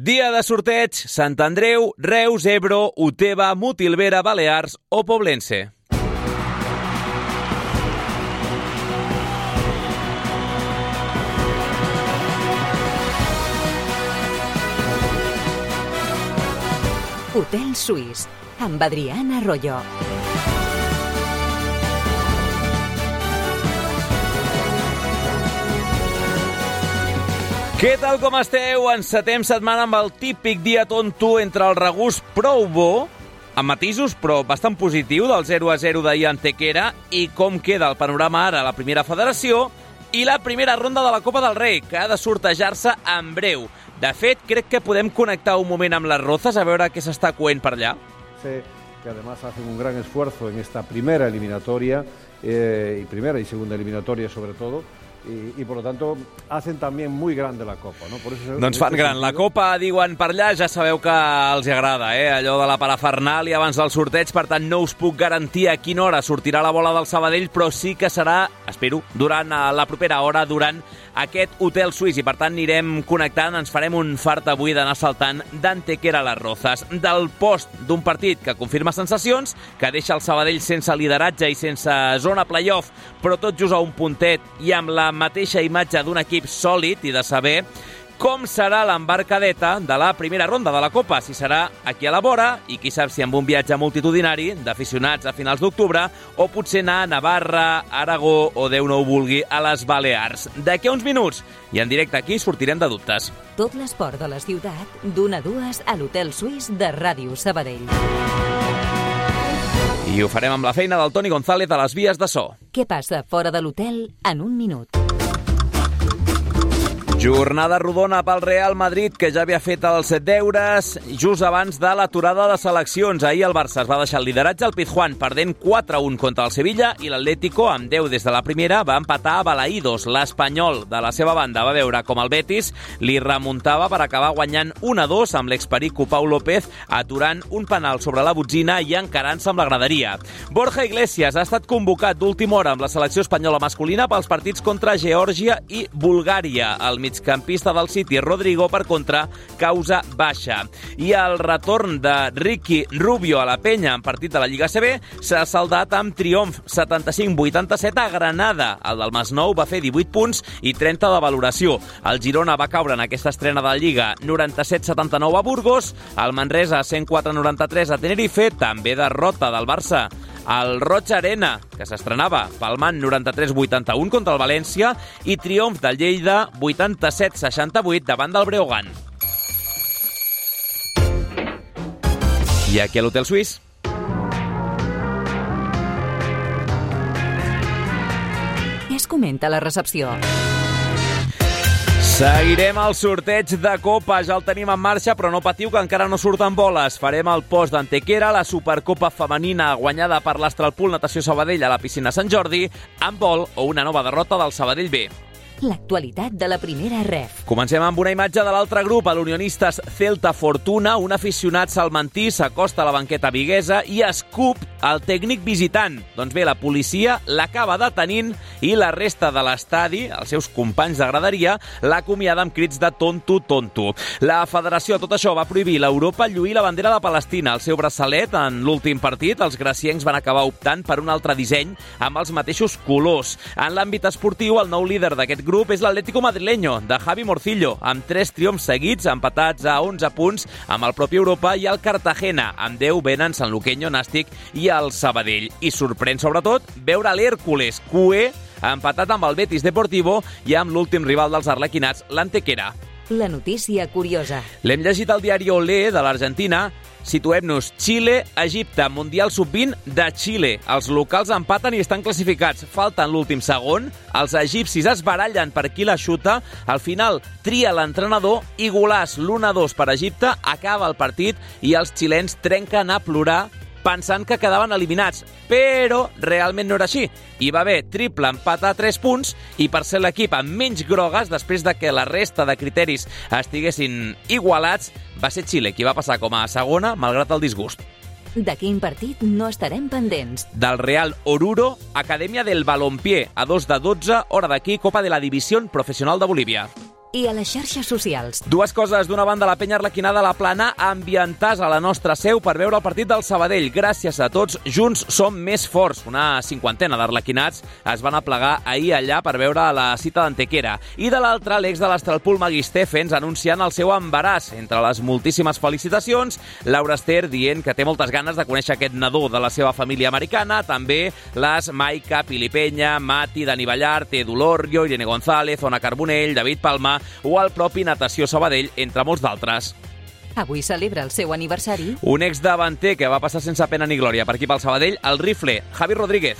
Dia de sorteig, Sant Andreu, Reus, Ebro, Uteba, Motilvera, Balears o Poblense. Hotel Suís, amb Adriana Arroyo. Què tal, com esteu? Encetem setmana amb el típic dia tonto entre el regust prou bo, amb matisos, però bastant positiu, del 0-0 d'ahir a Antequera, i com queda el panorama ara a la primera federació, i la primera ronda de la Copa del Rei, que ha de sortejar-se en breu. De fet, crec que podem connectar un moment amb les Rozas a veure què s'està coent per allà. Sí, que además hacen un gran esfuerzo en esta primera eliminatoria, primera y segunda eliminatoria sobre todo, y por lo tanto hacen también muy grande la Copa, ¿no? Por eso, doncs fan gran. La Copa, diuen per allà, ja sabeu que els agrada, allò de la parafernàlia abans del sorteig, per tant no us puc garantir a quina hora sortirà la bola del Sabadell, però sí que serà, espero, durant la propera hora, durant aquest Hotel Suís, i per tant anirem connectant, ens farem un fart avui d'anar saltant d'Antequera a les Rozas, del post d'un partit que confirma sensacions, que deixa el Sabadell sense lideratge i sense zona playoff, però tot just a un puntet i amb la mateixa imatge d'un equip sòlid, i de saber com serà l'embarcadeta de la primera ronda de la Copa, si serà aquí a la vora, i qui sap si amb un viatge multitudinari d'aficionats a finals d'octubre, o potser anar a Navarra, Aragó o, Déu no ho vulgui, a les Balears. D'aquí a uns minuts, i en directe aquí, sortirem de dubtes. Tot l'esport de la ciutat, d'1 a 2 a l'Hotel Suís de Ràdio Sabadell. I ho farem amb la feina del Toni González a les vies de so. Què passa fora de l'hotel en un minut? Jornada rodona pel Real Madrid, que ja havia fet els deures just abans de l'aturada de seleccions. Ahir el Barça es va deixar el lideratge al Pizjuán, perdent 4-1 contra el Sevilla, i l'Atlético, amb 10 des de la primera, va empatar a Balaídos. L'Espanyol, de la seva banda, va veure com el Betis li remuntava per acabar guanyant 1-2 amb l'experico Pau López, aturant un penal sobre la botzina i encarant-se amb la graderia. Borja Iglesias ha estat convocat d'última hora amb la selecció espanyola masculina pels partits contra Geòrgia i Bulgària. El migcampista del City, Rodrigo, per contra, causa baixa. I el retorn de Ricky Rubio a la penya en partit de la Lliga CB s'ha saldat amb triomf 75-87 a Granada. El del Masnou va fer 18 punts i 30 de valoració. El Girona va caure en aquesta estrena de la Lliga 97-79 a Burgos, el Manresa 104-93 a Tenerife, també derrota del Barça al Roig Arena, que s'estrenava palmant 93-81 contra el València, i triomf del Lleida 87-68 davant del Breogán. I aquí a l'Hotel Suís. Què es comenta a la recepció? Seguirem el sorteig de Copa, ja el tenim en marxa, però no patiu que encara no surten boles. Farem el post d'Antequera, la Supercopa femenina guanyada per l'Astralpool Natació Sabadell a la piscina Sant Jordi, handbol o una nova derrota del Sabadell B. L'actualitat de la primera ref. Comencem amb una imatge de l'altre grup, a l'Unionistes Celta Fortuna. Un aficionat salmantí s'acosta a la banqueta viguesa i escup el tècnic visitant. Doncs bé, la policia l'acaba detenint i la resta de l'estadi, els seus companys de graderia, l'acomiada amb crits de tonto, tonto. La federació a tot això va prohibir l'Europa lluir la bandera de Palestina. El seu braçalet, en l'últim partit, els graciencs van acabar optant per un altre disseny amb els mateixos colors. En l'àmbit esportiu, el nou líder d'aquest grup és l'Atlético madrileño, de Javi Morcillo, amb 3 triomfs seguits, empatats a 11 punts amb el propi Europa, i el Cartagena, amb 10 venen Sant Luqueño, Nàstic i el Sabadell. I sorprèn, sobretot, veure l'Hércules, cué, empatat amb el Betis Deportivo i amb l'últim rival dels arlequinats, l'Antequera. La notícia curiosa. L'hem llegit al diari Olé de l'Argentina. Situem-nos. Xile, Egipte, Mundial Sub-20 de Xile. Els locals empaten i estan classificats. Falten l'últim segon. Els egipcis es barallen per qui la xuta. Al final tria l'entrenador i golaç l'1-2 per Egipte. Acaba el partit i els xilens trenquen a plorar pensant que quedaven eliminats, però realment no era així. Hi va haver triple empat a 3 punts i per ser l'equip amb menys grogues, després de que la resta de criteris estiguessin igualats, va ser Xile qui va passar com a segona, malgrat el disgust. De quin partit no estarem pendents? Del Real Oruro, Acadèmia del Balompié, a 2 de 12, hora d'aquí, Copa de la División Profesional de Bolívia. i a les xarxes socials. Dues coses. D'una banda, la penya arlequinada a la Plana ambientàs a la nostra seu per veure el partit del Sabadell. Gràcies a tots, junts som més forts. Una cinquantena d'arlequinats es van aplegar ahir allà per veure la cita d'Antequera. I de l'altra, l'ex de l'Estralpul Magui Steffens anunciant el seu embaràs. Entre les moltíssimes felicitacions, Laura Ester dient que té moltes ganes de conèixer aquest nadó de la seva família americana. També les Maica, Pili Penya, Mati, Dani Ballart, Edu Lorrio, Irene González, Ona Carbonell, David Palma o el propi Natació Sabadell, entre molts d'altres. Avui celebra el seu aniversari. Un exdavanter que va passar sense pena ni glòria per aquí pel Sabadell, el rifle, Javi Rodríguez.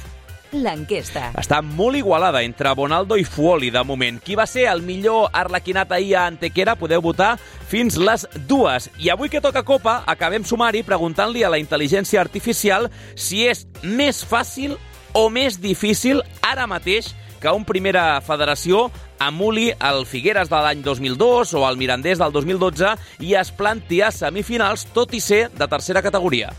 L'enquesta. Està molt igualada entre Bonaldo i Fuoli, de moment. Qui va ser el millor arlequinat ahir a Antequera? Podeu votar fins les 2. I avui que toca Copa, acabem sumari preguntant-li a la intel·ligència artificial si és més fàcil o més difícil ara mateix que un Primera Federació emuli el Figueres de l'any 2002 o el Mirandés del 2012 i es planti a semifinals, tot i ser de tercera categoria.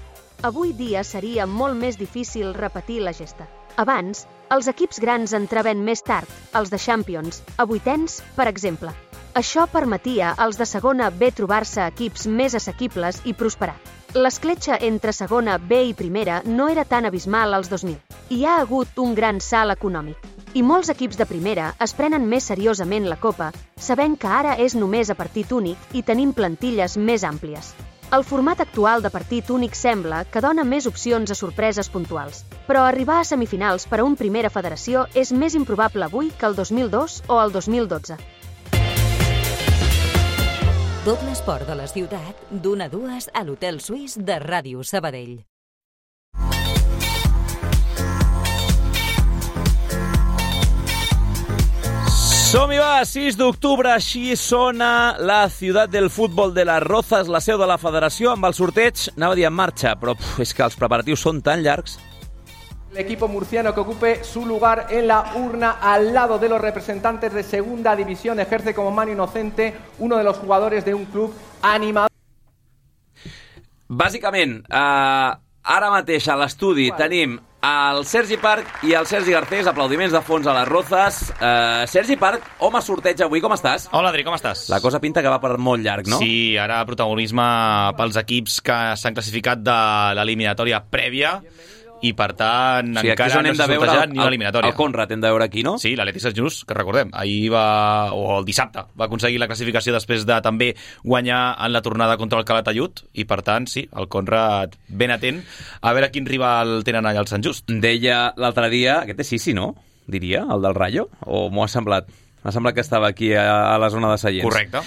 Avui dia seria molt més difícil repetir la gesta. Abans, els equips grans entraven més tard, els de Champions, a vuitens, per exemple. Això permetia als de segona B trobar-se equips més assequibles i prosperar. L'escletxa entre segona B i primera no era tan abismal als 2000. Hi ha hagut un gran salt econòmic. I molts equips de primera es prenen més seriosament la Copa, sabent que ara és només a partit únic i tenim plantilles més àmplies. El format actual de partit únic sembla que dona més opcions a sorpreses puntuals, però arribar a semifinals per a un Primera Federació és més improbable avui que el 2002 o el 2012. Tot l'esport de la ciutat, d'1 a 2 a l'Hotel Suís de Ràdio Sabadell. Som-hi va, 6 d'octubre, així sona la ciutat del futbol de les Rozas, la seu de la federació, amb el sorteig, anava a dir en marxa, però és que els preparatius són tan llargs. El equipo murciano que ocupe su lugar en la urna al lado de los representantes de segunda división ejerce como mano inocente uno de los jugadores de un club animador. Bàsicament, ara mateix a l'estudi tenim el Sergi Parc i el Sergi Garcés, aplaudiments de fons a les Rozas. Sergi Parc, home sorteig avui, com estàs? Hola, Adri, com estàs? La cosa pinta que va per molt llarg, no? Sí, ara protagonisme pels equips que s'han classificat de l'eliminatòria prèvia i, per tant, sí, encara no s'ha sortejat ni una eliminatòria. El Conrad hem de veure aquí, no? Sí, l'Atlètic Sant Just, que recordem, ahir o el dissabte, va aconseguir la classificació després de també guanyar en la tornada contra el Calatayud i, per tant, sí, el Conrad ben atent a veure quin rival tenen allà al Sant Just. Deia l'altre dia, aquest és Sisi, no? Diria, el del Rayo? O m'ho ha semblat? M'ha semblat que estava aquí a la zona de seients. Correcte.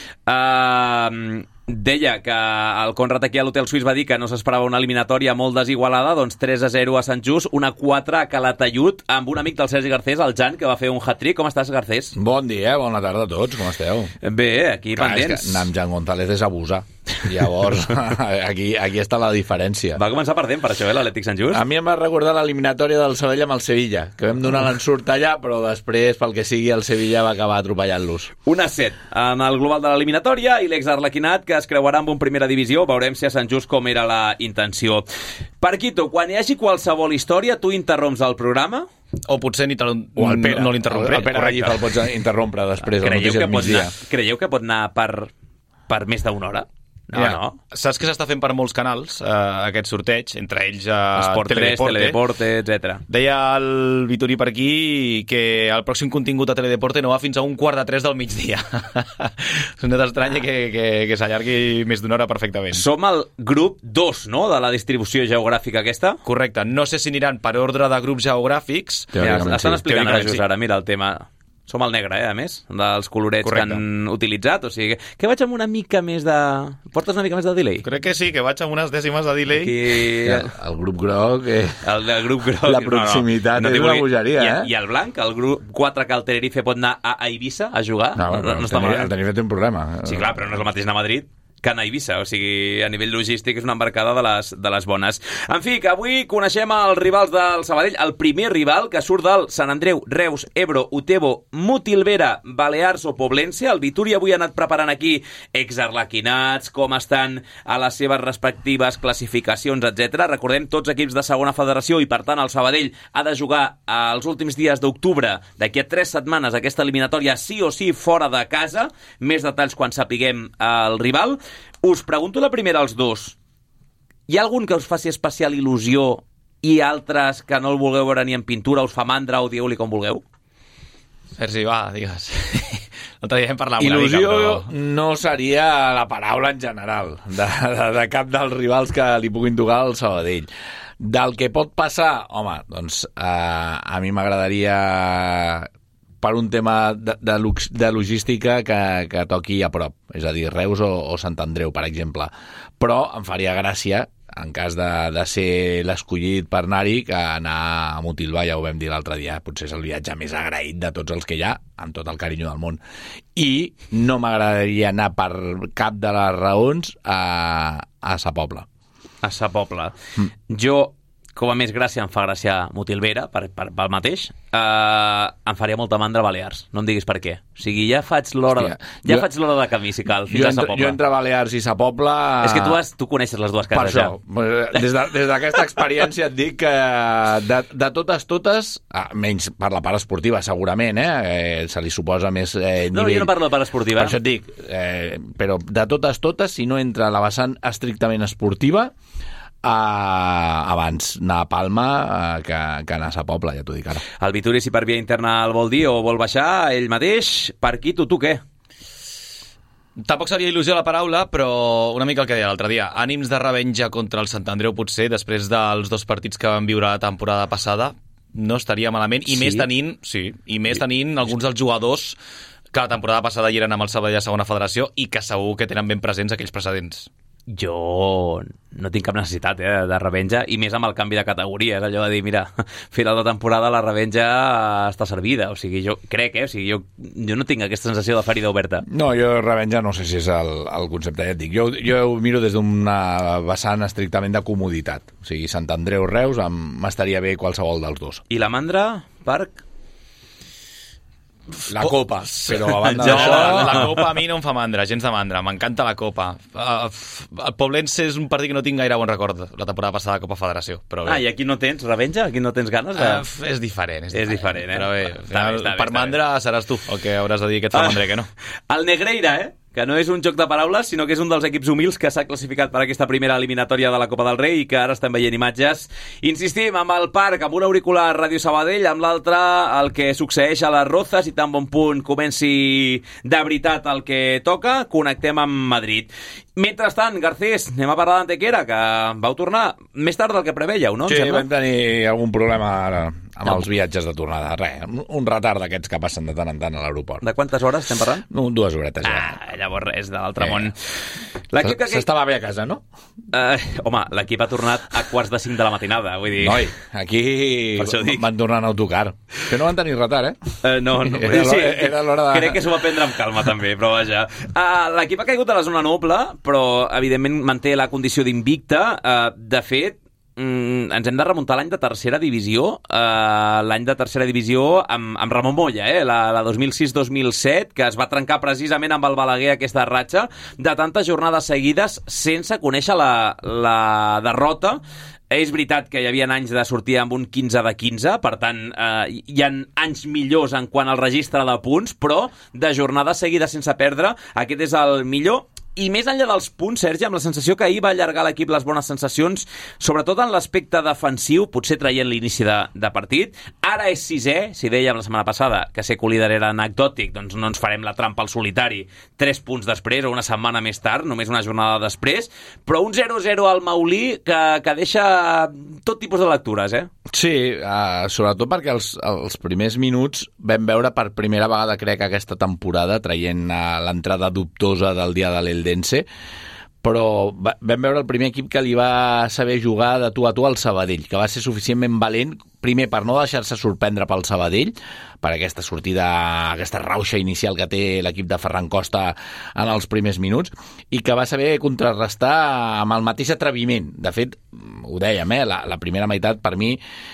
Deia que el Conrad aquí a l'Hotel Suís va dir que no s'esperava una eliminatòria molt desigualada, doncs 3-0 a Sant Just, 1-4 a Calatayud, amb un amic del Sergi Garcés, el Jan, que va fer un hat-trick. Com estàs, Garcés? Bon dia, bona tarda a tots, com esteu? Bé, aquí clar, pendents. És que anar amb Jan González és abusar. Llavors, aquí està la diferència. Va començar perdent per això, l'Atlètic Sant Just? A mi em va recordar l'eliminatòria del Sabadell amb el Sevilla, que vam donar l'ensurt allà, però després, pel que sigui, el Sevilla va acabar atropellant-los. 1-7 en el global de l'eliminatòria i l'ex-arlequinat que es creuarà amb un Primera Divisió. Veurem si a Sant Just com era la intenció. Parquito, quan hi hagi qualsevol història, tu interromps el programa? O potser no l'interrompré. El Pere Gallifa el pots interrompre després de notícies del migdia. Creieu que pot anar per més d'una hora? No. Saps que s'està fent per molts canals aquest sorteig, entre ells Esport 3, Teledeporte, etc. Deia el Vitorí per aquí que el pròxim contingut a Teledeporte no va fins a 2:45 del migdia. És una estranya que s'allargui més d'una hora perfectament. Som el grup 2, no?, de la distribució geogràfica aquesta? Correcte. No sé si aniran per ordre de grups geogràfics. Estan explicant ara just ara, mira el tema. Som el negre, a més, dels colorets correcte, que han utilitzat. O sigui, que vaig amb una mica més de... Portes una mica més de delay? Crec que sí, que vaig amb unes dècimes de delay. El grup groc... El del grup groc... La proximitat és una bogeria, I el blanc, el grup 4 que el Tenerife pot anar a Eivissa a jugar? No està malament. El Tenerife té un problema. Sí, clar, però no és el mateix anar a Madrid. que anar a Eivissa, o sigui, a nivell logístic és una embarcada de les bones. En fi, que avui coneixem els rivals del Sabadell, el primer rival que surt del Sant Andreu, Reus, Ebro, Utebo, Motilvera, Balears o Poblense. El Vituri avui ha anat preparant aquí exarlequinats, com estan a les seves respectives classificacions, etc. Recordem, tots equips de segona federació i, per tant, el Sabadell ha de jugar els últims dies d'octubre, d'aquí a 3 setmanes, aquesta eliminatòria sí o sí fora de casa. Més detalls quan sapiguem el rival. Us pregunto la primera als dos. Hi ha algun que us faci especial il·lusió i altres que no el vulgueu veure ni en pintura, us fa mandra o dieu-li com vulgueu? Sergi, va, digues. L'altre dia hem parlat una il·lusió mica, però... no seria la paraula en general de cap dels rivals que li puguin tocar al Sabadell. Del que pot passar, home, doncs a mi m'agradaria, per un tema de logística, que toqui a prop, és a dir, Reus o Sant Andreu, per exemple. Però em faria gràcia, en cas de ser l'escollit per anar-hi, que anar a Motilva, ja ho vam dir l'altre dia, potser és el viatge més agraït de tots els que hi ha, amb tot el carinyo del món. I no m'agradaria anar per cap de les raons a Sa Pobla. A Sa Pobla. Jo, com a més gràcia, em fa gràcia Motilvera, pel mateix. Em faria molta mandra Balears, no em diguis per què. O sigui, ja faig l'hora de camí, si cal, fins a Sa Pobla. Jo entre Balears i Sa Pobla... És que tu coneixes les dues cases, ja. Per això, des d'aquesta experiència et dic que de totes, menys per la part esportiva, segurament, se li suposa més nivell... No, jo no parlo de part esportiva. Per això et dic, però de totes, si no entra la vessant estrictament esportiva, abans anar a Palma que anar a Sa Pobla, ja t'ho dic ara. El Vituri, si per via interna el vol dir o vol baixar ell mateix, per aquí tu què? Tampoc seria il·lusió la paraula, però una mica el que deia l'altre dia. Ànims de revenja contra el Sant Andreu, potser, després dels 2 partits que van viure la temporada passada, no estaria malament, i més tenint alguns dels jugadors que la temporada passada hi eren amb el Sabadell a segona federació i que segur que tenen ben presents aquells precedents. Jo no tinc cap necessitat de revenja, i més amb el canvi de categoria. És allò de dir, mira, final de temporada la revenja està servida. O sigui, jo crec, jo no tinc aquesta sensació de ferida oberta. No, jo revenja no sé si és el concepte, ja et dic. Jo ho miro des d'una vessant estrictament de comoditat. O sigui, Sant Andreu, Reus, m'estaria bé qualsevol dels dos. I la mandra, Parc? La Copa, però a banda d'això... La Copa a mi no em fa mandra, gens de mandra. M'encanta la Copa. El Poblense és un partit que no tinc gaire bon record la temporada passada de Copa Federació. Però bé. I aquí no tens revenja? Aquí no tens ganes de... És diferent. És diferent, Però bé, per mandra seràs tu el que hauràs de dir que et fa mandra, que no. El Negreira, que no és un joc de paraules, sinó que és un dels equips humils que s'ha classificat per aquesta primera eliminatòria de la Copa del Rei i que ara estem veient imatges. Insistim, amb el Parc, amb un auricular Ràdio Sabadell, amb l'altre el que succeeix a les Rozas, i tan bon punt comenci de veritat el que toca, connectem amb Madrid. Mentrestant, Garcés, anem a parlar d'Antequera, que vau tornar més tard del que preveieu, no? Sí, vam tenir algun problema ara amb els viatges de tornada. Res, un retard d'aquests que passen de tant en tant a l'aeroport. De quantes hores estem parlant? 2 horetes. Llavors res, de l'altre món. S'estava bé a casa, no? Home, l'equip ha tornat a 4:45 de la matinada, vull dir... Noi, aquí van tornar en autocar. Que no van tenir retard, No. Era l'hora de... Crec que s'ho va prendre amb calma, també, però vaja. L'equip ha caigut a la zona noble, però evidentment manté la condició d'invicta. De fet, ens hem de remuntar l'any de tercera divisió, l'any de tercera divisió amb Ramon Moya, la 2006-2007, que es va trencar precisament amb el Balaguer, aquesta ratxa de tantes jornades seguides sense conèixer la derrota. És veritat que hi havia anys de sortir amb un 15 de 15, per tant, hi ha anys millors en quant al registre de punts, però de jornades seguides sense perdre, aquest és el millor. I més enllà dels punts, Sergi, amb la sensació que ahir va allargar l'equip les bones sensacions, sobretot en l'aspecte defensiu, potser traient l'inici de partit. Ara és 6è, si dèiem la setmana passada que ser co-líder era anecdòtic, doncs no ens farem la trampa al solitari 3 punts després o una setmana més tard, només una jornada després, però un 0-0 al Maulí que deixa tot tipus de lectures, Sí, sobretot perquè els primers minuts vam veure per primera vegada, crec, aquesta temporada, traient l'entrada dubtosa del dia de l'Eldense, però vam veure el primer equip que li va saber jugar de tu a tu al Sabadell, que va ser suficientment valent primer, per no deixar-se sorprendre pel Sabadell, per aquesta sortida, aquesta rauxa inicial que té l'equip de Ferran Costa en els primers minuts, i que va saber contrarrestar amb el mateix atreviment. De fet, ho dèiem, la primera meitat, per mi,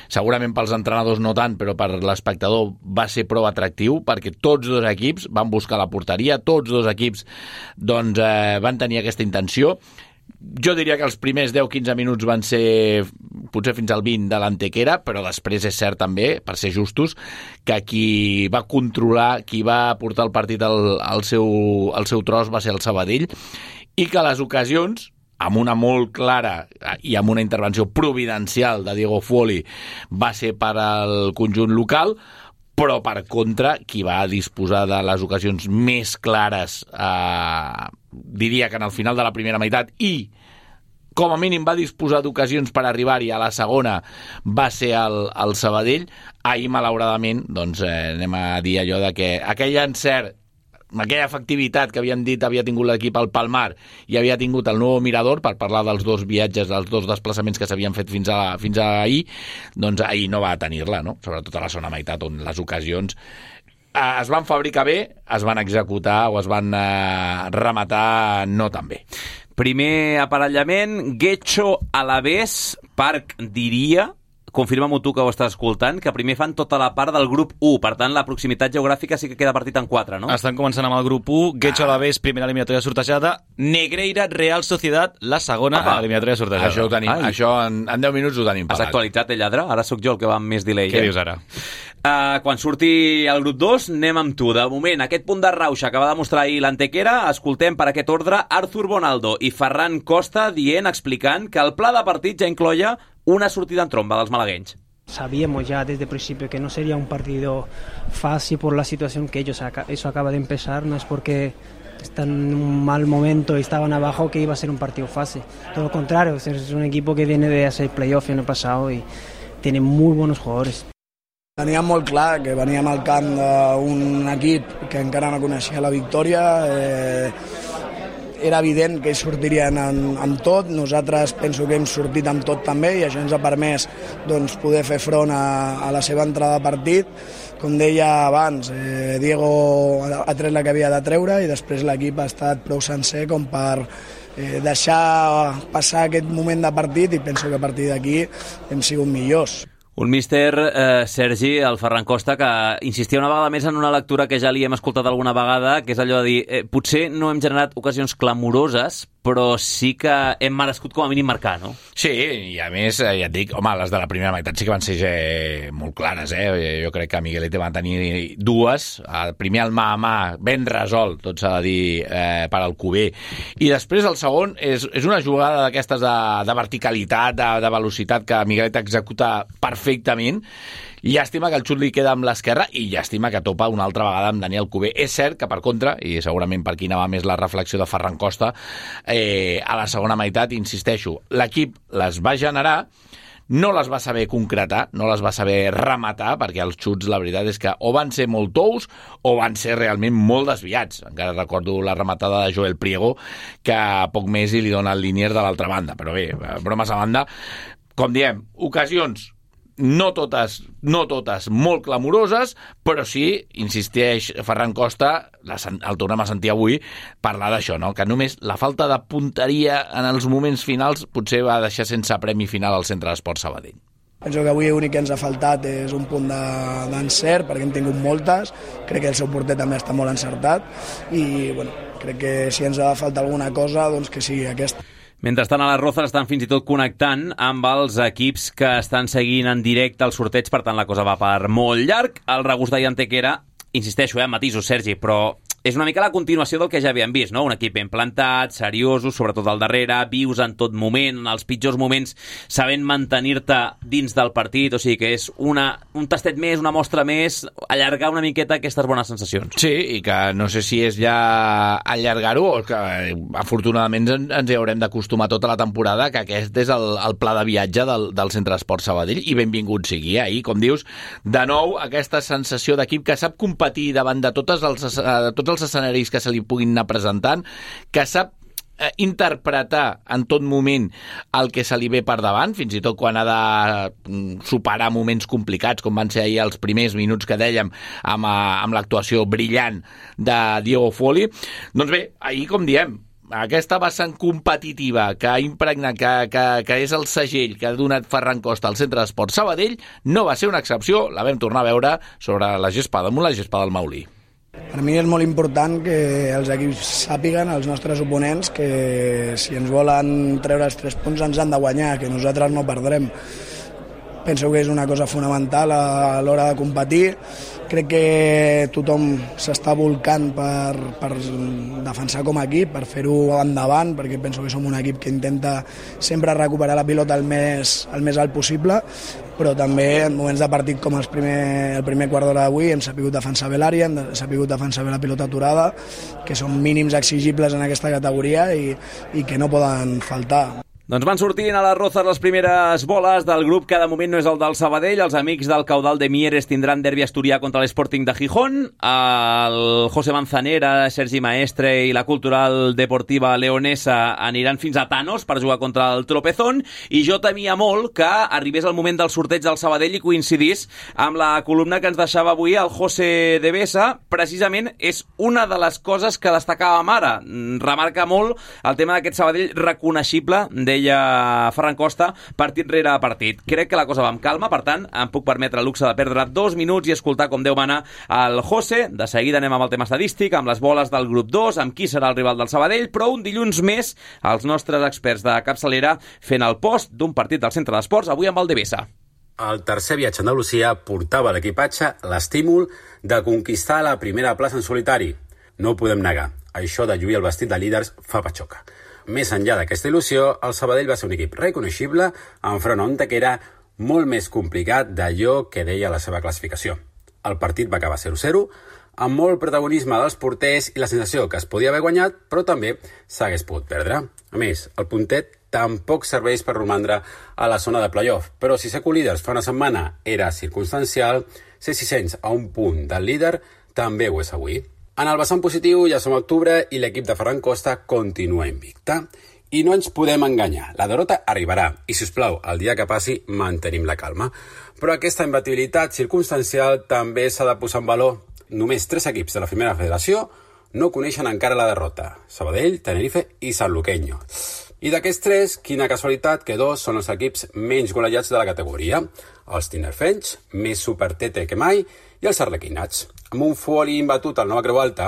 segurament pels entrenadors no tant, però per l'espectador va ser prou atractiu, perquè tots dos equips van buscar la porteria, tots dos equips doncs, van tenir aquesta intenció. Jo diria que els primers 10-15 minuts van ser potser fins al 20 de l'Antequera, però després és cert també, per ser justos, que qui va controlar, qui va portar el partit al seu tros va ser el Sabadell, i que les ocasions, amb una molt clara i amb una intervenció providencial de Diego Fuoli, va ser per al conjunt local, però per contra, qui va disposar de les ocasions més clares, diria que en el final de la primera meitat, i com a mínim va disposar d'ocasions per arribar-hi a la segona, va ser el Sabadell. Ahir, malauradament, doncs, anem a dir allò de que aquell encert, aquella efectivitat que havien dit havia tingut l'equip al Palmar i havia tingut el nou Mirador, per parlar dels dos viatges, dels dos desplaçaments que s'havien fet fins a ahir, doncs ahir no va tenir-la, no? Sobretot a la segona meitat, on les ocasions es van fabricar bé, es van executar o es van rematar no tan bé. Primer aparellament, Getxo Alavés, Parc diria, confirma-m'ho tu que ho estàs escoltant, que primer fan tota la part del grup 1, per tant la proximitat geogràfica sí que queda partit en 4, no? Estan començant amb el grup 1, Getxo Alavés, primera eliminatòria sortejada, Negreira, Real Sociedad, la segona eliminatòria sortejada. Això ho tenim, això en 10 minuts ho tenim pagat. Has actualitzat, lladre? Ara sóc jo el que va amb més delay. Què dius ara? Quan surti el grup 2, anem amb tu. De moment, aquest punt de rauxa que va demostrar ahir l'Antequera, escoltem per aquest ordre Arthur Bonaldo i Ferran Costa explicant que el pla de partit ja incloia una sortida en tromba dels malagueños. Sabíamos ya desde el principio que no sería un partido fácil por la situación que eso acaba de empezar, no es porque están en un mal momento y estaban abajo que iba a ser un partido fácil. Todo lo contrario, es un equipo que viene de hacer playoff el año pasado y tiene muy buenos jugadores. Teníem molt clar que veníem al camp d'un equip que encara no coneixia la victòria, era evident que ells sortirien amb tot, nosaltres penso que hem sortit amb tot també i això ens ha permès doncs, poder fer front a la seva entrada de partit. Com deia abans, Diego ha tret la que havia de treure i després l'equip ha estat prou sencer com per deixar passar aquest moment de partit i penso que a partir d'aquí hem sigut millors. Un míster, Sergi, el Ferran Costa, que insistia una vegada més en una lectura que ja li hem escoltat alguna vegada, que és allò de dir, potser no hem generat ocasions clamoroses, però sí que hem merescut com a mínim marcar, no? Sí, i a més, ja et dic, home, les de la primera meitat sí que van ser molt clares, Jo crec que Miguelete va tenir dues, primer el mà a mà, ben resolt, tot s'ha de dir, per Alcover, i després el segon és una jugada d'aquestes de verticalitat, de velocitat, que Miguelete executa perfectament. Llàstima que el xut li queda amb l'esquerra i llàstima que topa una altra vegada amb Dani Alcover. És cert que, per contra, i segurament per aquí anava més la reflexió de Ferran Costa, a la segona meitat, insisteixo, l'equip les va generar, no les va saber concretar, no les va saber rematar, perquè els xuts, la veritat és que o van ser molt tous o van ser realment molt desviats. Encara recordo la rematada de Joel Priego, que a poc més li dona el Liniers de l'altra banda. Però bé, bromes a banda, com diem, ocasions no totes molt clamoroses, però sí, insisteix Ferran Costa, el tornem a sentir avui, parlar d'això, no? Que només la falta de punteria en els moments finals potser va deixar sense premi final al Centre d'Esports Sabadell. Penso que avui l'únic que ens ha faltat és un punt d'encert, perquè hem tingut moltes, crec que el seu porter també està molt encertat i bueno, crec que si ens ha de faltar alguna cosa, doncs que sigui aquesta. Mentrestant, a les Rozas estan fins i tot connectant amb els equips que estan seguint en directe el sorteig, per tant la cosa va per molt llarg. El regust d'ahir Antequera, insisteixo, matisos, Sergi, però és una mica la continuació del que ja havíem vist, no? Un equip ben plantat, seriosos, sobretot al darrere, vius en tot moment, en els pitjors moments, sabent mantenir-te dins del partit, o sigui que és un tastet més, una mostra més, allargar una miqueta aquestes bones sensacions. Sí, i que no sé si és ja allargar-ho o que afortunadament ens hi haurem d'acostumar tota la temporada, que aquest és el pla de viatge del Centre d'Esports Sabadell, i benvingut sigui. Ahir, com dius, de nou aquesta sensació d'equip que sap competir davant de tots els escenaris que se li puguin anar presentant, que sap interpretar en tot moment el que se li ve per davant, fins i tot quan ha de superar moments complicats, com van ser ahir els primers minuts que dèiem amb l'actuació brillant de Diego Foley. Doncs bé, ahir, com diem, aquesta vessant competitiva que ha impregnat, que és el segell que ha donat Ferran Costa al Centre d'Esports Sabadell, no va ser una excepció, la vam tornar a veure sobre la gespa damunt la gespa del Maulí. Per mi és molt important que els equips sàpiguen, els nostres oponents, que si ens volen treure els 3 punts ens han de guanyar, que nosaltres no perdrem. Penso que és una cosa fonamental a l'hora de competir. Crec que tothom s'està volcant per defensar com a equip, per fer-ho endavant, perquè penso que som un equip que intenta sempre recuperar la pilota el més alt possible, però també en moments de partit com el primer quart d'hora d'avui hem sabut defensar bé l'àrea, hem sabut defensar bé la pilota aturada, que són mínims exigibles en aquesta categoria i que no poden faltar. Doncs van sortint a les rozes les primeres boles del grup que de moment no és el del Sabadell. Els amics del Caudal de Mieres tindran derbi asturià contra l'Sporting de Gijón. El José Manzanera, Sergi Maestre i la Cultural Deportiva Leonesa aniran fins a Thanos per jugar contra el Tropezón. I jo temia molt que arribés el moment del sorteig del Sabadell i coincidís amb la columna que ens deixava avui el José de Besa. Precisament és una de les coses que destacàvem ara. Remarca molt el tema d'aquest Sabadell reconeixible deia Ferran Costa, partit rere partit. Crec que la cosa va amb calma, per tant, em puc permetre el luxe de perdre 2 minuts i escoltar com Déu mana el José. De seguida anem amb el tema estadístic, amb les boles del grup 2, amb qui serà el rival del Sabadell, però un dilluns més els nostres experts de capçalera fent el post d'un partit del Centre d'Esports, avui amb el Devesa. El tercer viatge a Andalusia portava a l'equipatge l'estímul de conquistar la primera plaça en solitari. No ho podem negar, això de lluir el vestit de líders fa patxoca. Més enllà d'aquesta il·lusió, el Sabadell va ser un equip reconeixible enfront a un que era molt més complicat d'allò que deia la seva classificació. El partit va acabar 0-0, amb molt protagonisme dels porters i la sensació que es podia haver guanyat, però també s'hagués pogut perdre. A més, el puntet tampoc serveix per romandre a la zona de playoff, però si ser co-líders fa una setmana era circumstancial, ser 600 a un punt del líder també ho és avui. En el vessant positiu ja som a octubre i l'equip de Ferran Costa continua invicta. I no ens podem enganyar, la derrota arribarà i, si us plau, el dia que passi mantenim la calma. Però aquesta imbatibilitat circumstancial també s'ha de posar en valor. Només 3 equips de la primera federació no coneixen encara la derrota: Sabadell, Tenerife i Sanluqueño. I d'aquests 3, quina casualitat que 2 són els equips menys golejats de la categoria. Els tinerfenys, més supertete que mai, i els arlequinats. Amb un Foley imbatut al Nova Creu Alta,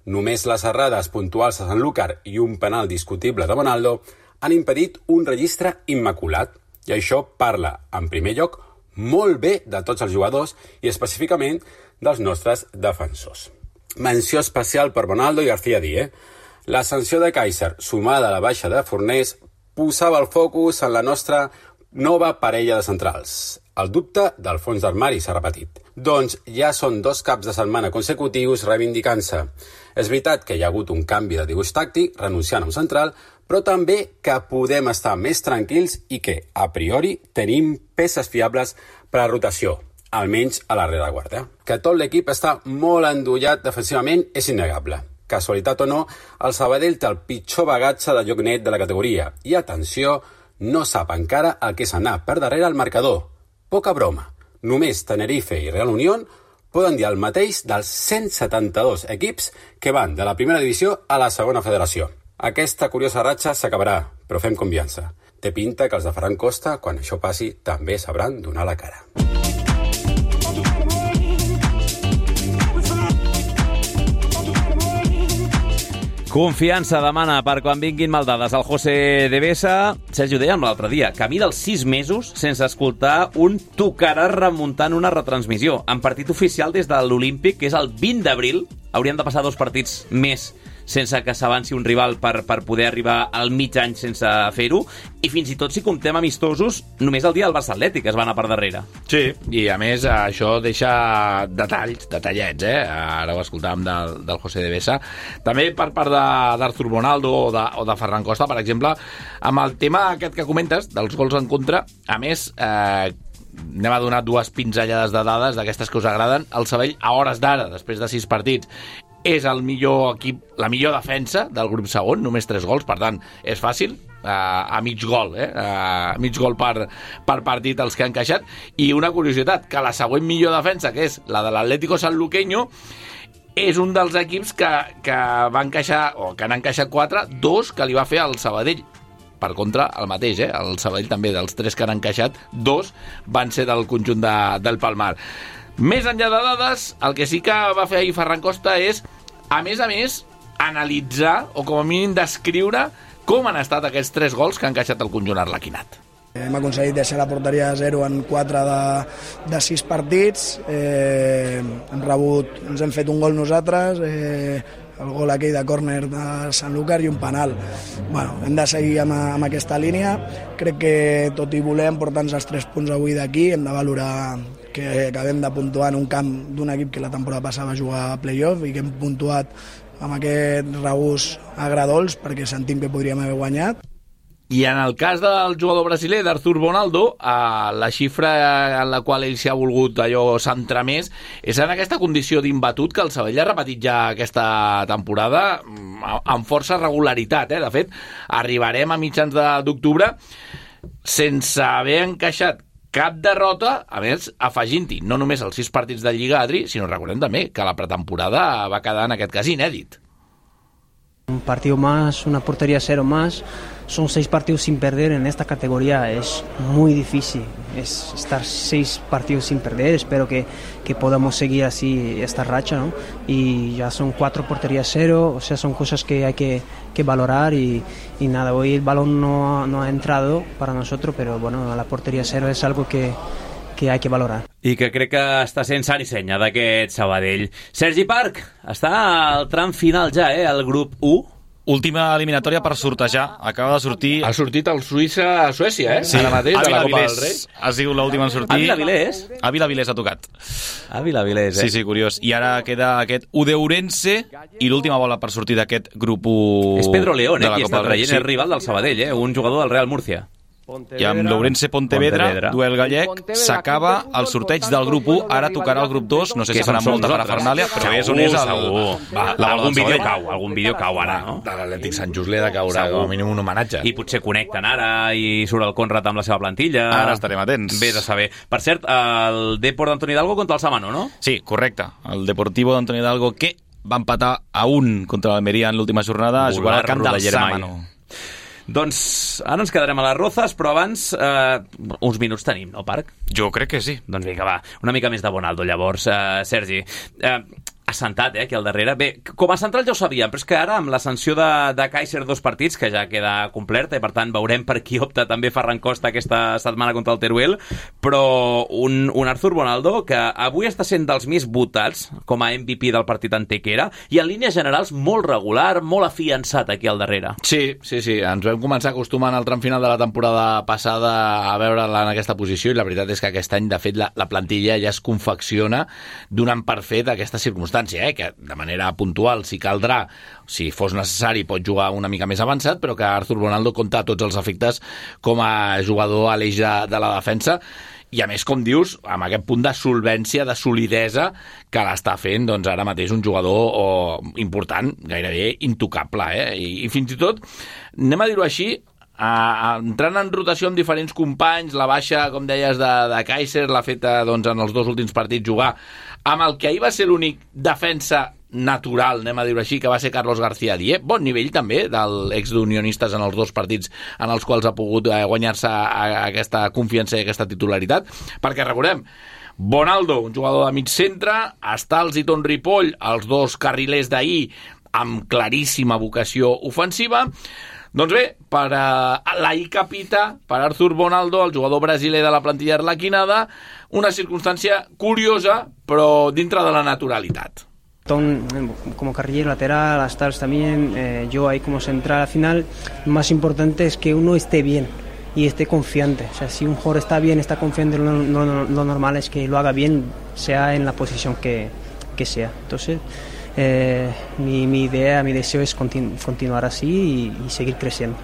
només les errades puntuals a Sanlúcar i un penal discutible de Bonaldo han impedit un registre immaculat. I això parla, en primer lloc, molt bé de tots els jugadors i específicament dels nostres defensors. Menció especial per Bonaldo i García Díez. La sanció de Kaiser, sumada a la baixa de Fornés, posava el focus en la nostra nova parella de centrals. El dubte del fons d'armari s'ha repetit. Doncs ja són 2 caps de setmana consecutius reivindicant-se. És veritat que hi ha hagut un canvi de dibuix tàctic, renunciant a un central, però també que podem estar més tranquils i que, a priori, tenim peces fiables per a rotació, almenys a la rereguarda. Que tot l'equip està molt endollat defensivament és innegable. Casualitat o no, el Sabadell té el pitjor bagatge de joc net de la categoria i, atenció, no sap encara el que és anar per darrere al marcador. Poca broma. Només Tenerife i Real Unión poden dir el mateix dels 172 equips que van de la primera divisió a la segona federació. Aquesta curiosa ratxa s'acabarà, però fem confiança. Té pinta que els de Ferran Costa, quan això passi, també sabran donar la cara. Confiança demana per quan vinguin maldades el José de Besa. Sergi, ho dèiem l'altre dia, camí dels 6 mesos sense escoltar un tocarà remuntant una retransmissió. En partit oficial des de l'Olímpic, que és el 20 d'abril, haurien de passar 2 partits més sense que s'avanci un rival per poder arribar al mig any sense fer-ho, i fins i tot si comptem amistosos, només el dia del Barça Atlètic es va anar per darrere. Sí, i a més això deixa detallets, ara ho escoltàvem del José de Besa. També per part d'Artur Bonaldo o de Ferran Costa, per exemple, amb el tema aquest que comentes, dels gols en contra, a més, anem a donar 2 pinzellades de dades d'aquestes que us agraden. El Sabadell, a hores d'ara, després de 6 partits, és el millor equip, la millor defensa del grup segon, només 3 gols, per tant, és fàcil, a mig gol, a mig gol per partit els que han encaixat. I una curiositat, que la següent millor defensa, que és la de l'Atlético Sanluqueño, és un dels equips que va encaixar, o que han encaixat 4, 2 que li va fer el Sabadell. Per contra, el mateix, el Sabadell també, dels 3 que han encaixat, 2 van ser del conjunt del Palmar. Més enllà de dades, el que sí que va fer ahir Ferran Costa és, a més, analitzar, o com a mínim descriure, com han estat aquests 3 gols que han encaixat el conjunt arlequinat. Hem aconseguit deixar la porteria a 0 en 4 de 6 partits. Ens hem fet un gol nosaltres, el gol aquell de córner de Sanlúcar i un penal. Bueno, hem de seguir amb aquesta línia. Crec que tot i voler emportar-nos els 3 punts avui d'aquí, hem de valorar que acabem de puntuar en un camp d'un equip que la temporada passada va jugar a playoff i que hem puntuat amb aquest regús agradols perquè sentim que podríem haver guanyat. I en el cas del jugador brasiler, d'Arthur Bonaldo, la xifra en la qual ell s'ha volgut centrar més és en aquesta condició d'imbatut que el Sabadell ha repetit ja aquesta temporada amb força regularitat. De fet, arribarem a mitjans d'octubre sense haver encaixat cap derrota, a més, afegint-hi no només els 6 partits de Lliga, Adri, sinó recordem també que la pretemporada va quedar en aquest cas inèdit. Un partido más, una portería 0 más, son 6 partidos sin perder en esta categoría, es muy difícil, es estar 6 partidos sin perder, espero que podamos seguir así esta racha, ¿no? Y ya son 4 porterías 0, o sea, son cosas que hay que valorar y nada, hoy el balón no ha entrado para nosotros, pero bueno, la portería 0 es algo que hay que valorar. I que crec que està sent sant i senya d'aquest Sabadell. Sergi Parc, està al tram final ja, el grup 1. Última eliminatòria per sortejar. Acaba de sortir... Ha sortit el Suïssa-Suècia, Sí, ara mateix, de la Copa del Rei. Ha sigut l'última en sortir. Ávila Vilés ha tocat. Ávila Vilés, Sí, curiós. I ara queda aquest Udeurense i l'última bola per sortir d'aquest grup 1 és Pedro León, de la qui Copa està del Rei. traient el rival del Sabadell, un jugador del Real Murcia. I amb l'Ourense Pontevedra, duel gallec, s'acaba el sorteig del grup 1, ara tocarà el grup 2, no sé si farà molta parafernàlia, però és on és algun vídeo cau ara, no? De l'Atlètic Sant Just li ha de caure com a mínim un homenatge. I potser connecten ara i surt el Conrad amb la seva plantilla. Ara estarem atents. Vés a saber. Per cert, el Depor d'Antoni Hidalgo contra el Samano, no? Sí, correcte. El Deportivo d'Antoni Hidalgo que va empatar a 1 contra l'Almeria en l'última jornada, jugarà al camp del Samano. Doncs ara ens quedarem a les Rozas, però abans uns minuts tenim, no, Parc? Jo crec que sí. Doncs vinga, va, una mica més de Bonaldo, llavors. Sergi, assentat, aquí al darrere. Bé, com a central ja ho sabíem, però és que ara amb la sanció de Kaiser 2 partits, que ja queda completa, i per tant veurem per qui opta també Ferran Costa aquesta setmana contra el Teruel, però un Arthur Bonaldo que avui està sent dels més votats com a MVP del partit Antequera i en línies generals molt regular, molt afiançat aquí al darrere. Sí, ens vam començar acostumant al tram final de la temporada passada a veure'la en aquesta posició i la veritat és que aquest any, de fet, la plantilla ja es confecciona donant per fet aquesta circumstància, que de manera puntual, si caldrà, si fos necessari, pot jugar una mica més avançat, però que Arthur Bonaldo compta a tots els efectes com a jugador a l'eix de la defensa. I a més, com dius, amb aquest punt de solvència, de solidesa que l'està fent, doncs ara mateix un jugador important, gairebé intocable, I fins i tot, anem a dir-ho així, entrant en rotació amb diferents companys, la baixa, com deies, de Kaiser, l'ha fet doncs, en els 2 últims partits jugar amb el que ahir va ser l'únic defensa natural, anem a dir-ho així, que va ser Carlos García Dié. Bon nivell també del ex d'Unionistes en els 2 partits en els quals ha pogut guanyar-se aquesta confiança i aquesta titularitat, perquè recordem, Bonaldo, un jugador de mig centre, Stals i Ton Ripoll, els 2 carrilers d'ahir amb claríssima vocació ofensiva. Doncs bé, per l'ahir capità, per Arthur Bonaldo, el jugador brasiler de la plantilla arlequinada, una circunstància curiosa, però dintre de la naturalitat. Como carrilero lateral, Stals también, yo ahí como central, al final lo más importante es que uno esté bien y esté confiante. O sea, si un jugador está bien, está confiante, lo normal es que lo haga bien, sea en la posición que sea. Entonces, mi idea, mi deseo es continuar así y seguir creciendo.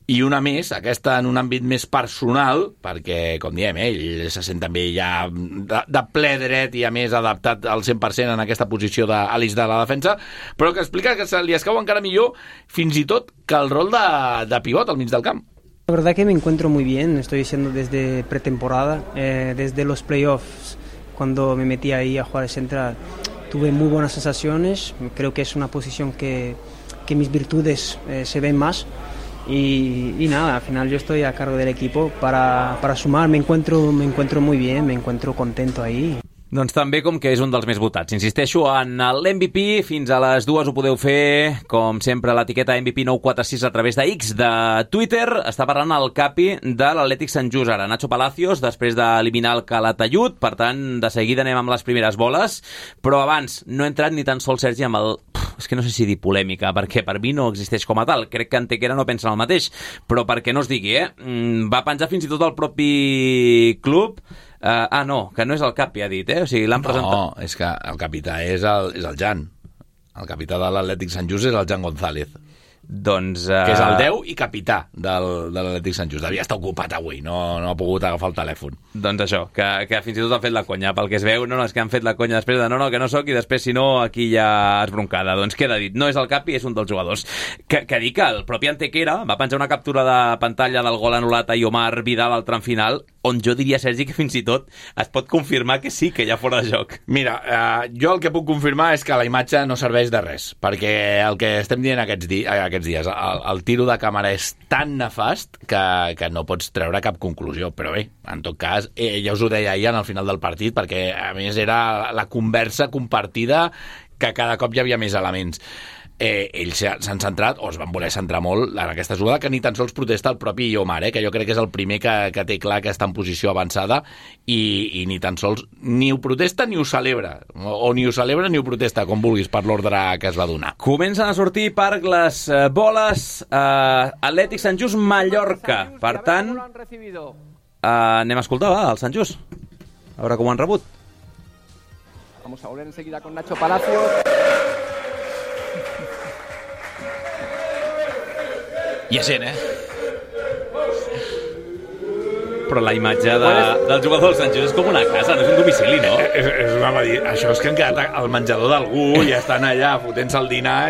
i una més, aquesta en un àmbit més personal, perquè, com diem, ell se sent també ja de ple dret i a més adaptat al 100% en aquesta posició d'Alice de la defensa, però que explica que se li escau encara millor fins i tot que el rol de pivot al mig del camp. La verdad que me encuentro muy bien, estoy diciendo desde pretemporada, desde los playoffs, cuando me metí ahí a jugar de central, tuve muy buenas sensaciones, creo que es una posición que mis virtudes se ven más. Y nada, al final yo estoy a cargo del equipo para sumar, me encuentro muy bien, me encuentro contento ahí. Doncs també com que és un dels més votats. Insisteixo en l'MVP, fins a les 2 ho podeu fer, com sempre, l'etiqueta MVP946 a través de X de Twitter. Està parlant el capi de l'Atlètic Sant Just ara, Nacho Palacios, després d'eliminar el Calatayud, per tant, de seguida anem amb les primeres boles, però abans no he entrat ni tan sols, Sergi, amb el... És que no sé si dir polèmica, perquè per mi no existeix com a tal. Crec que Antequera no pensa el mateix, però perquè no es digui, va penjar fins i tot el propi club. No, que no és el capi, ha dit, o sigui, l'han presentat. No, és que el capità és el Jan. El capità de l'Atlètic Sant Just és el Jan González. Doncs... Que és el 10 i capità de l'Atlètic Sant Just. Devia estar ocupat avui, no ha pogut agafar el telèfon. Doncs això, que fins i tot han fet la conya. Pel que es veu, no, és que han fet la conya després de no, que no sóc, i després, si no, aquí ja és broncada. Doncs queda dit, no és el capi, és un dels jugadors. Que dic que el propi Antequera va penjar una captura de pantalla del gol anul·lat a Iomar Vidal al tram final, on jo diria, Sergi, que fins i tot es pot confirmar que sí, que hi ha fora de joc. Mira, jo el que puc confirmar és que la imatge no serveix de res, perquè el que estem dient aquests dies, el tiro de càmera és tan nefast que no pots treure cap conclusió, però bé, en tot cas, ja us ho deia ahir al final del partit, perquè a més era la conversa compartida que cada cop hi havia més elements. Ells s'han centrat, o es van voler centrar molt en aquesta jugada, que ni tan sols protesta el propi Iomar, que jo crec que és el primer que té clar que està en posició avançada i ni tan sols ni ho protesta ni ho celebra, o ni ho celebra ni ho protesta, com vulguis, per l'ordre que es va donar. Comencen a sortir per les boles Atlètic Sant Just Mallorca, per tant anem a escoltar el Sant Just, a veure com ho han rebut. Vamos a volver enseguida con Nacho Palacios. Hi ha gent, Però la imatge del jugador del Sant Just és com una casa, no és un domicili, no? Això és que han quedat al menjador d'algú i estan allà fotent-se el dinar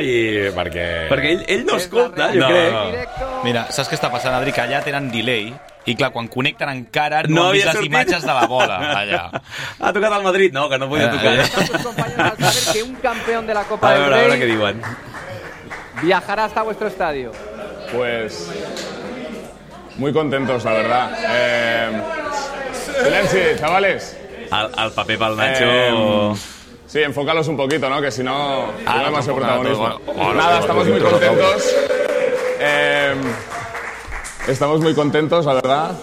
Perquè ell no escolta, jo crec. Mira, saps què està passant, Adri? Que allà tenen delay i clar, quan connecten encara no han vist les imatges de la bola allà. Ha tocat el Madrid, no? Que no podia tocar. Que un campeón de la Copa del Rey, a veure què diuen. Viajará hasta vuestro estadio. Pues muy contentos, la verdad. Silencio, chavales. Al paper pel Nacho. Sí, enfócalos un poquito, ¿no? Que si no, no hay demasiado protagonismo. Nada, estamos muy contentos. Estamos muy contentos, la verdad,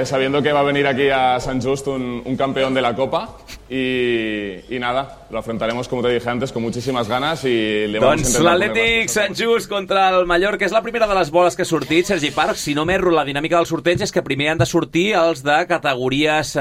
sabiendo que va a venir aquí a Sant Just un campeón de la Copa y nada, lo afrontaremos, como te dije antes, con muchísimas ganas y le vamos a intentar l'Atlètic Sant Just contra el Mallorca és la primera de les boles que ha sortit, Sergi Parc. Si no m'erro, la dinàmica del sorteig és que primer han de sortir els de categories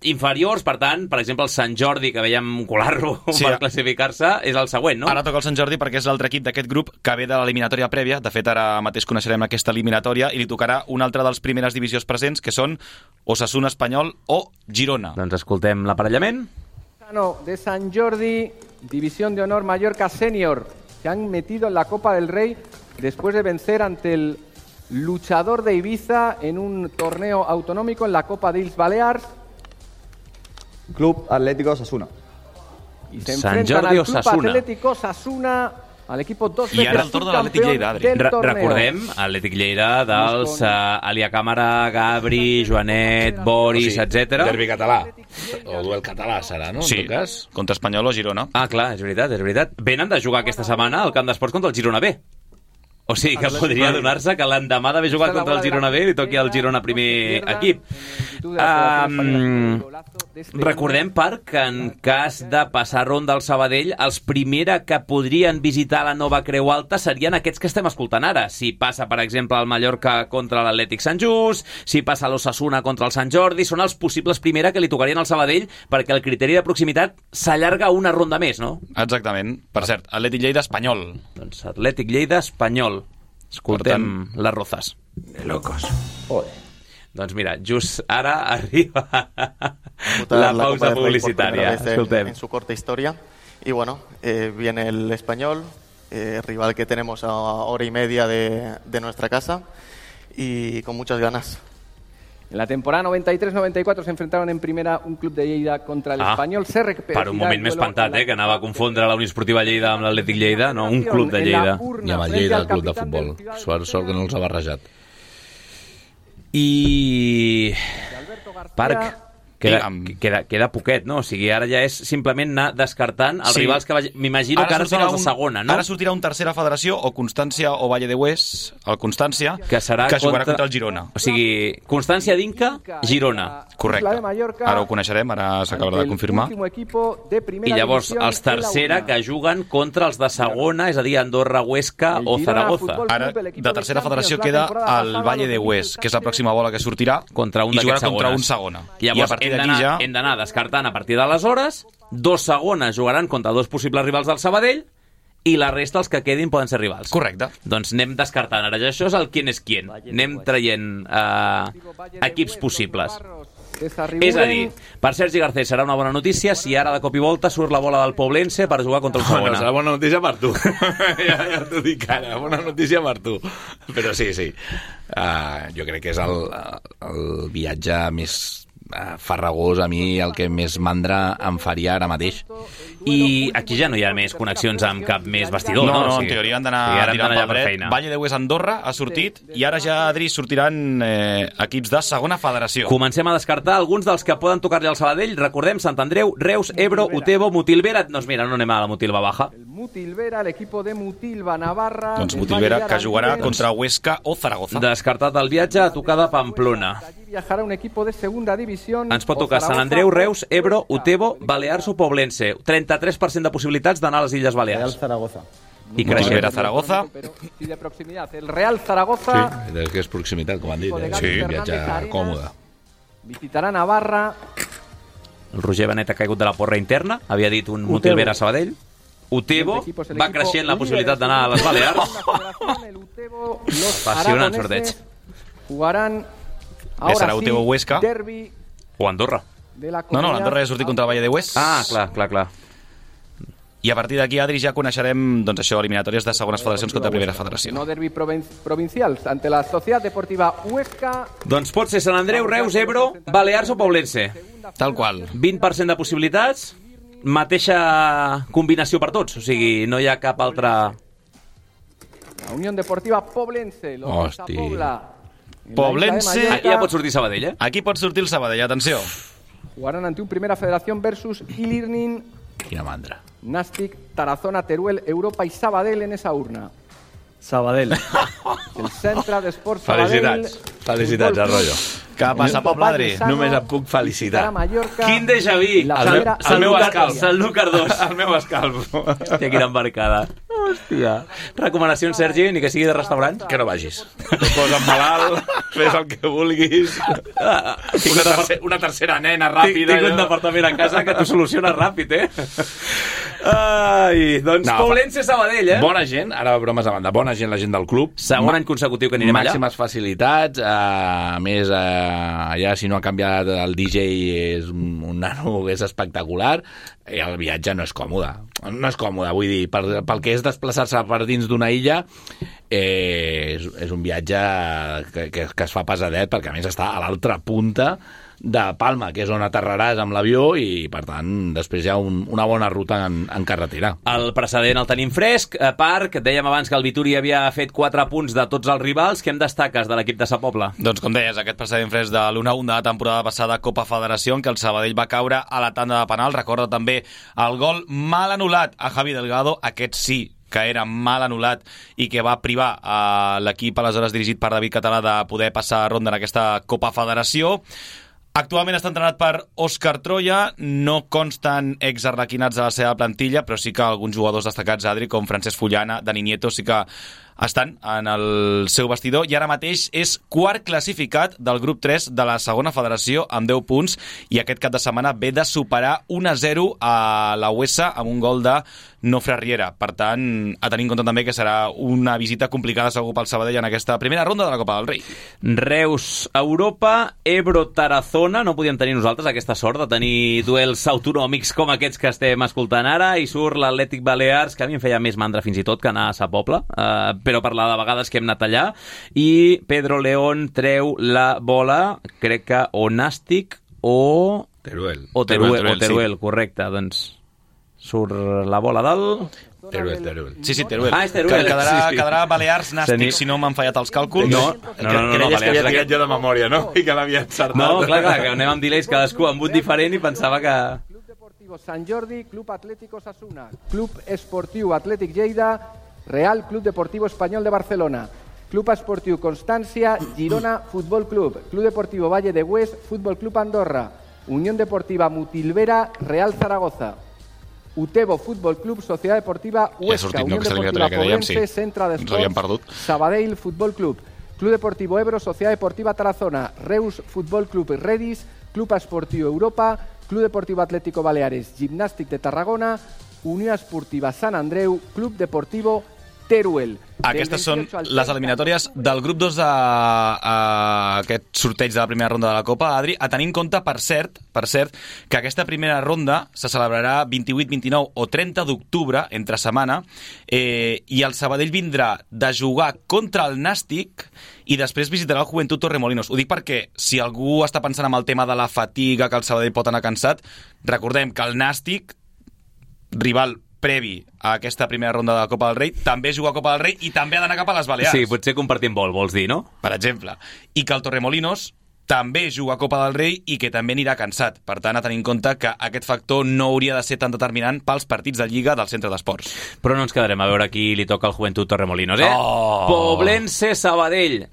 inferiors, per tant, per exemple, el Sant Jordi, que veiem colar-lo per classificar-se, és el següent, no? Ara toca el Sant Jordi perquè és l'altre equip d'aquest grup que ve de l'eliminatòria prèvia. De fet, ara mateix coneixerem aquesta eliminatòria i li tocarà un altre dels primeres divisions presents, que són Osasuna Espanyol o Girona. Doncs escoltem l'aparellament. De Sant Jordi, División de Honor Mallorca Senior. Se han metido en la Copa del Rey después de vencer ante el luchador de Ibiza en un torneo autonómico en la Copa de Illes Balears. Club Atlético Osasuna. Y se enfrentan al Club Atlético Osasuna, al equip 2 I ara el torn de l'Atlètic Lleida, Adri. Recordem, Atlètic Lleida dels Alia Càmara, Gabri, Joanet, Boris, etc. Derbi català, o duel català serà, no? Sí, en tot cas. Contra Espanyol o Girona. Ah, clar, és veritat. Venen de jugar aquesta setmana al Camp d'Esports contra el Girona B. O sigui que podria donar-se que l'endemà d'haver jugat contra el Girona B li toqui al Girona primer equip. Recordem, Parc, que en cas de passar ronda al Sabadell, els primera que podrien visitar la nova Creu Alta serien aquests que estem escoltant ara. Si passa, per exemple, el Mallorca contra l'Atlètic Sant Just, si passa l'Osasuna contra el Sant Jordi, són els possibles primera que li tocarien al Sabadell perquè el criteri de proximitat s'allarga una ronda més, no? Exactament. Per cert, Atlètic Lleida Espanyol. Doncs Atlètic Lleida Espanyol. Escoltem les rozas. De locos. Doncs mira, just ara arriba la pausa publicitària. Escoltem. En su corta historia. Y bueno, viene el Español, rival que tenemos a hora y media de nuestra casa y con muchas ganas. En la temporada 93-94 se enfrentaron en primera un club de Lleida contra el Espanyol. Per un moment m'he espantat, que anava a confondre la Unió Esportiva Lleida amb l'Atlètic Lleida. No, un club de Lleida. I amb el Lleida, el club de futbol. Sort que no els ha barrejat. I... Parc, queda poquet, no? O sigui, ara ja és simplement anar descartant els rivals que m'imagino que ara són els de segona, no? Ara sortirà un tercera federació, o Constància o Valle de Hues, el Constància, que jugarà contra el Girona. O sigui, Constància d'Inca, Girona. Correcte. Ara ho coneixerem, ara s'acabarà de confirmar. I llavors els tercera que juguen contra els de segona, és a dir, Andorra, Huesca o Zaragoza. Ara, de tercera federació queda el Valle de Hues, que és la pròxima bola que sortirà, i jugarà contra un segona. I a partir hem d'anar descartant a partir d'aleshores. Dos segones jugaran contra dos possibles rivals del Sabadell i la resta, els que quedin, poden ser rivals. Correcte. Doncs anem descartant. Ara això és el quién és quién. Anem traient equips possibles. És a dir, per Sergi Garcés serà una bona notícia si ara de cop i volta surt la bola del Poblense per jugar contra el segona. Bueno, serà bona notícia per tu. ja t'ho dic ara, bona notícia per tu. Però sí. Jo crec que és el viatge més farragós, a mi el que més mandra em faria ara mateix. I aquí ja no hi ha més connexions amb cap més vestidor, no? No, en teoria han d'anar tirant pel dret. Valle de Hues Andorra ha sortit i ara ja, Adri, sortiran equips de segona federació. Comencem a descartar alguns dels que poden tocar-li al Sabadell. Recordem, Sant Andreu, Reus, Ebro, Utebo, Mutilvera. Doncs mira, no anem a la Mutilva Baja. El Mutilvera, l'equip de Mutilva, Navarra... Doncs Mutilvera, que jugarà contra Huesca o Zaragoza. Descartat el viatge a tocar de Pamplona. Viajarà un equip de segunda división. Ens pot tocar Sant Andreu, Reus, Ebro, Utebo, Balears o Poblense. 33% de possibilitats d'anar a les Illes Balears. Real Zaragoza. I creixent. Zaragoza. I de proximitat, el Real Zaragoza. Sí, és que és proximitat, com han dit. Sí, viatge còmode. Visitarà Navarra. El Roger Benet ha caigut de la porra interna. Havia dit un Mutilvera Sabadell. Utebo va creixent la possibilitat d'anar a les Balears. Apassionant sorteig. Jugaran serà Utebo Huesca derbi o Andorra. No, l'Andorra ja ha sortit contra el Valle de Hues. Clar. I a partir d'aquí, Adri, ja coneixerem eliminatòries de segones federacions contra primera federació. No derbi provincials ante la Societat Deportiva Huesca. Doncs pot ser Sant Andreu, Reus, Ebro, Balears o Poblense. Tal qual. 20% de possibilitats, mateixa combinació per tots, o sigui, no hi ha cap altra... La Unió Deportiva Poblense. Hòstia. Poblense... Aquí ja pot sortir Sabadell, Aquí pot sortir el Sabadell, atenció. Jugaran ante un Primera Federación versus Ilirnin. Quina mandra. Nàstic, Tarazona, Teruel, Europa i Sabadell en esa urna. Sabadell. El Centre d'Esports Sabadell. Felicitats, Arroyo. Què passa, Pablo Adri? Només et puc felicitar. Quin déjà vu! El meu escalf. El Núcar 2. El meu escalf. Hòstia, quina embarcada. Hòstia. Recomanacions, Sergi, ni que sigui de restaurant? Que no vagis. Et poses malalt, fes el que vulguis. Una tercera nena ràpida. Tinc un departament a casa que t'ho soluciona ràpid, Ai, doncs Poblense Sabadell, Bona gent, ara bromes a banda, bona gent la gent del club. Segon any consecutiu que anirem allà. Màximes facilitats, a més, allà si no ha canviat el DJ és un nano que és espectacular, i el viatge no és còmode. No és còmode, vull dir, pel que és desplaçar-se per dins d'una illa, és un viatge que es fa pesadet, perquè a més està a l'altra punta de Palma, que és on aterraràs amb l'avió, i per tant després hi ha una bona ruta en carretera. El precedent el tenim fresc. Parc, dèiem abans que el Vituri havia fet 4 punts de tots els rivals. Què em destaques de l'equip de Sa Pobla? Doncs com deies, aquest precedent fresc de l'1-1 de la temporada passada Copa Federació, en què el Sabadell va caure a la tanda de penal. Recorda també el gol mal anul·lat a Javi Delgado, aquest sí que era mal anul·lat i que va privar a l'equip aleshores dirigit per David Català de poder passar a ronda en aquesta Copa Federació. Actualment està entrenat per Òscar Troia, no consten exarlequinats a la seva plantilla, però sí que alguns jugadors destacats, Adri, com Francesc Fullana, Dani Nieto, sí que estan en el seu vestidor i ara mateix és quart classificat del grup 3 de la segona federació amb 10 punts i aquest cap de setmana ve de superar 1-0 a la USA amb un gol de Nofre Riera. Per tant, a tenir en compte també que serà una visita complicada segur pel Sabadell en aquesta primera ronda de la Copa del Rei. Reus, Europa, Ebro, Tarazona. No podíem tenir nosaltres aquesta sort de tenir duels autonòmics com aquests que estem escoltant ara, i surt l'Atlètic Balears, que a mi em feia més mandra fins i tot que anar a Sa Pobla, però per la de vegades que hem anat allà, i Pedro León treu la bola, crec que o Nàstic o Teruel. O Teruel, correcte, doncs surt la bola del... Teruel. Sí, Teruel. Ah, és Teruel. Quedarà Balears Nàstic, si no m'han fallat els càlculs. No, Creies que havia tirat jo de memòria, no? I que l'havia encertat. No, clar, que anem amb delays cadascú amb un diferent i pensava que... Club Deportivo Sant Jordi, Club Atlético Osasuna, Club Esportiu Atlètic Lleida, Real Club Deportivo Espanyol de Barcelona, Club Esportiu Constància, Girona Futbol Club, Club Deportivo Valle de Hues, Futbol Club Andorra, Unión Deportiva Mutilvera, Real Zaragoza, Utebo Futbol Club, Societat Deportiva Huesca, Unión Deportiva Poblense, Centre d'Esports, Sabadell Futbol Club, Club Deportivo Ebro, Societat Deportiva Tarazona, Reus Futbol Club Redis, Club Esportiu Europa, Club Deportivo Atlético Baleares, Gimnàstic de Tarragona, Unió Esportiva Sant Andreu, Club Deportivo Teruel. Aquestes són les eliminatòries del grup 2 d'aquest sorteig de la primera ronda de la Copa, Adri, a tenir en compte, per cert, que aquesta primera ronda se celebrarà 28, 29 o 30 d'octubre, entre setmana, i el Sabadell vindrà de jugar contra el Nàstic i després visitarà el Joventut Torremolinos. Ho dic perquè, si algú està pensant en el tema de la fatiga, que el Sabadell pot anar cansat, recordem que el Nàstic, rival previ a aquesta primera ronda de la Copa del Rei, també juga a Copa del Rei i també ha d'anar cap a les Balears. Sí, potser compartim vol, vols dir, no? Per exemple. I que el Torremolinos també juga a Copa del Rei i que també anirà cansat. Per tant, a tenir en compte que aquest factor no hauria de ser tan determinant pels partits de Lliga del centre d'esports. Però no ens quedarem a veure qui li toca al Joventut Torremolinos, eh? Oh! Poblense Sabadell.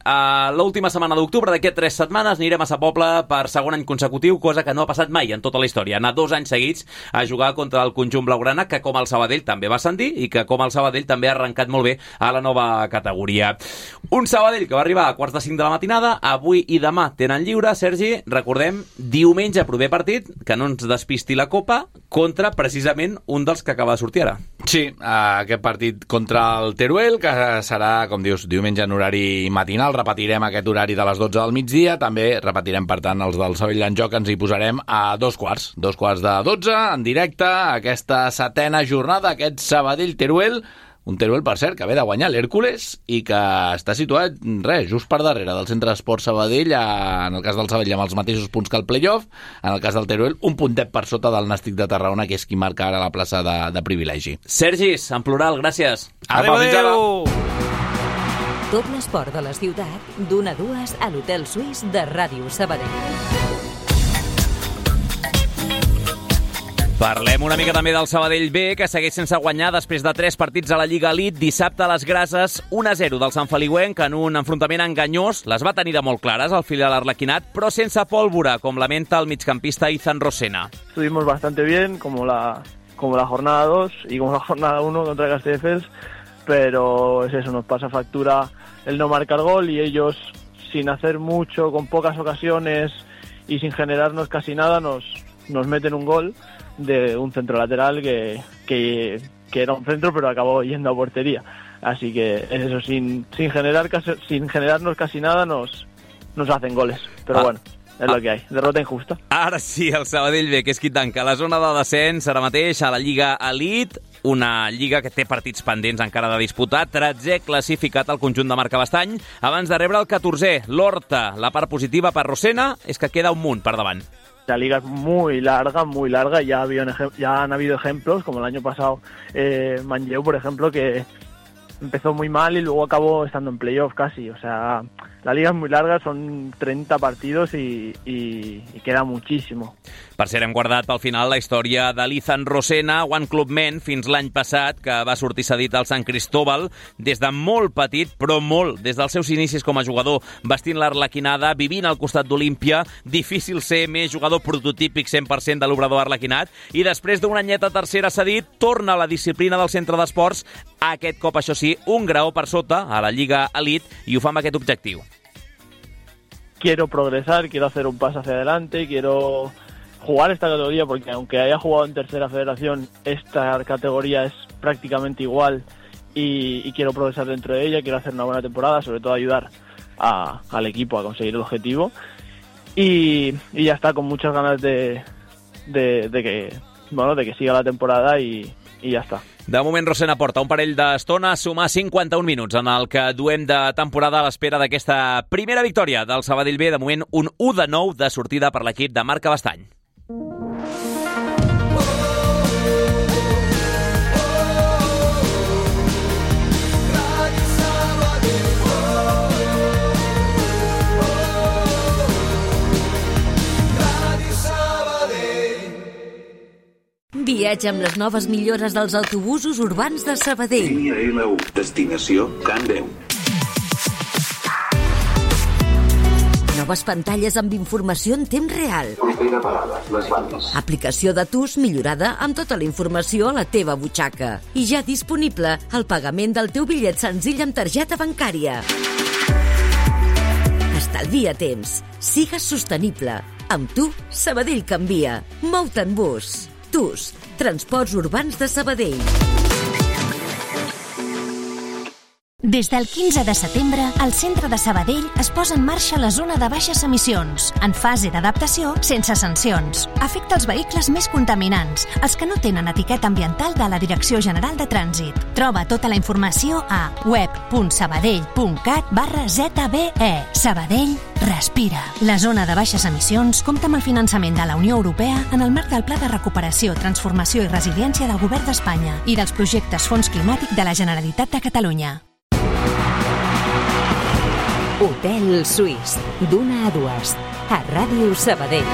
L'última setmana d'octubre, d'aquí 3 setmanes, anirem a Sa Pobla per segon any consecutiu, cosa que no ha passat mai en tota la història. Anar 2 anys seguits a jugar contra el conjunt blaugrana, que com el Sabadell també va ascendir i que com el Sabadell també ha arrencat molt bé a la nova categoria. Un Sabadell que va arribar a 4:45 de la matinada, avui i demà tenen lliure. Sergi, recordem, diumenge proper partit, que no ens despisti la Copa, contra precisament un dels que acaba de sortir ara. Sí, aquest partit contra el Teruel, que serà, com dius, diumenge en horari matinal. Repetirem aquest horari de les 12 del migdia. També repetirem, per tant, els del Sabadell en joc. Ens hi posarem a 2 quarts de 12, en directe, aquesta 7a jornada, aquest Sabadell-Teruel. Un Teruel, per cert, que ve de guanyar l'Hèrcules i que està situat, just per darrere del Centre d'Esports Sabadell, en el cas del Sabadell amb els mateixos punts que el play-off, en el cas del Teruel un puntet per sota del Nàstic de Tarragona, que és qui marca ara la plaça de privilegi. Sergis, en plural, gràcies. Adéu! Tot l'esport de la ciutat, d'1 a 2 a l'Hotel Suís de Ràdio Sabadell. Parlem una mica també del Sabadell B, que segueix sense guanyar després de 3 partits a la Lliga Elite. Dissabte a les Grases, 1-0 del Sant Feliuenc en un enfrontament enganyós. Les va tenir de molt clares el filial arlequinat, però sense pólvora, com lamenta el migcampista Izan Rosena. Estuvimos bastante bien, como la jornada 2 y como la jornada 1 contra Castelldefels, pero es eso, nos pasa factura el no marcar gol y ellos, sin hacer mucho, con pocas ocasiones y sin generarnos casi nada, nos meten un gol de un centro lateral que era un centro pero acabó yendo a portería. Así que eso, sin generarnos casi nada nos hacen goles. Pero bueno, és el que hi ha. Derrota injusta. Ara sí, el Sabadell B, que és qui tanca la zona de descens ara mateix a la Lliga Elite, una lliga que té partits pendents encara de disputar. 13è classificat al conjunt de Marc Abastany abans de rebre el 14è, l'Horta. La part positiva per Rosena és que queda un munt per davant. La liga es muy larga, y ya han habido ejemplos, como el año pasado Manlleu, por ejemplo, que empezó muy mal y luego acabó estando en playoff casi. O sea, la liga es muy larga, son 30 partidos y queda muchísimo. Per cert, hem guardat pel final la història de l'Ethan Rosena, One Club Men, fins l'any passat, que va sortir cedit al Sant Cristóbal, des de molt petit, però molt, des dels seus inicis com a jugador, vestint l'arlequinada, vivint al costat d'Olímpia, difícil ser més jugador prototípic 100% de l'obrador arlequinat, i després d'un anyet a tercera cedit, torna a la disciplina del centre d'esports, aquest cop, això sí, un graó per sota, a la Lliga Elite, i ho fa amb aquest objectiu. Quiero progresar, quiero hacer un paso hacia adelante, quiero jugar esta categoría, porque aunque haya jugado en tercera federación, esta categoría es prácticamente igual y quiero progresar dentro de ella, quiero hacer una buena temporada, sobre todo ayudar al equipo a conseguir el objetivo y ya está, con muchas ganas de que siga la temporada y ja està. De moment, Rosena porta un parell d'estona a sumar 51 minuts en el que duem de temporada a l'espera d'aquesta primera victòria del Sabadell B. De moment, un 1-9 de sortida per l'equip de Marc Cabestany. Viatja amb les noves millores dels autobusos urbans de Sabadell. Línia L1, destinació Can 10. Noves pantalles amb informació en temps real. Propera parada, les bandes. Aplicació de TUS millorada amb tota la informació a la teva butxaca. I ja disponible el pagament del teu bitllet senzill amb targeta bancària. Estalvia temps. Sigues sostenible. Amb tu, Sabadell canvia. Mou-te en bus. TUS, Transports Urbans de Sabadell. Des del 15 de setembre, el centre de Sabadell es posa en marxa la zona de baixes emissions, en fase d'adaptació sense sancions. Afecta els vehicles més contaminants, els que no tenen etiqueta ambiental de la Direcció General de Trànsit. Troba tota la informació a web.sabadell.cat/ZBE. Sabadell respira. La zona de baixes emissions compta amb el finançament de la Unió Europea en el marc del Pla de Recuperació, Transformació i Resiliència del Govern d'Espanya i dels projectes Fons Climàtic de la Generalitat de Catalunya. Hotel Suís, d'una a dues, a Ràdio Sabadell.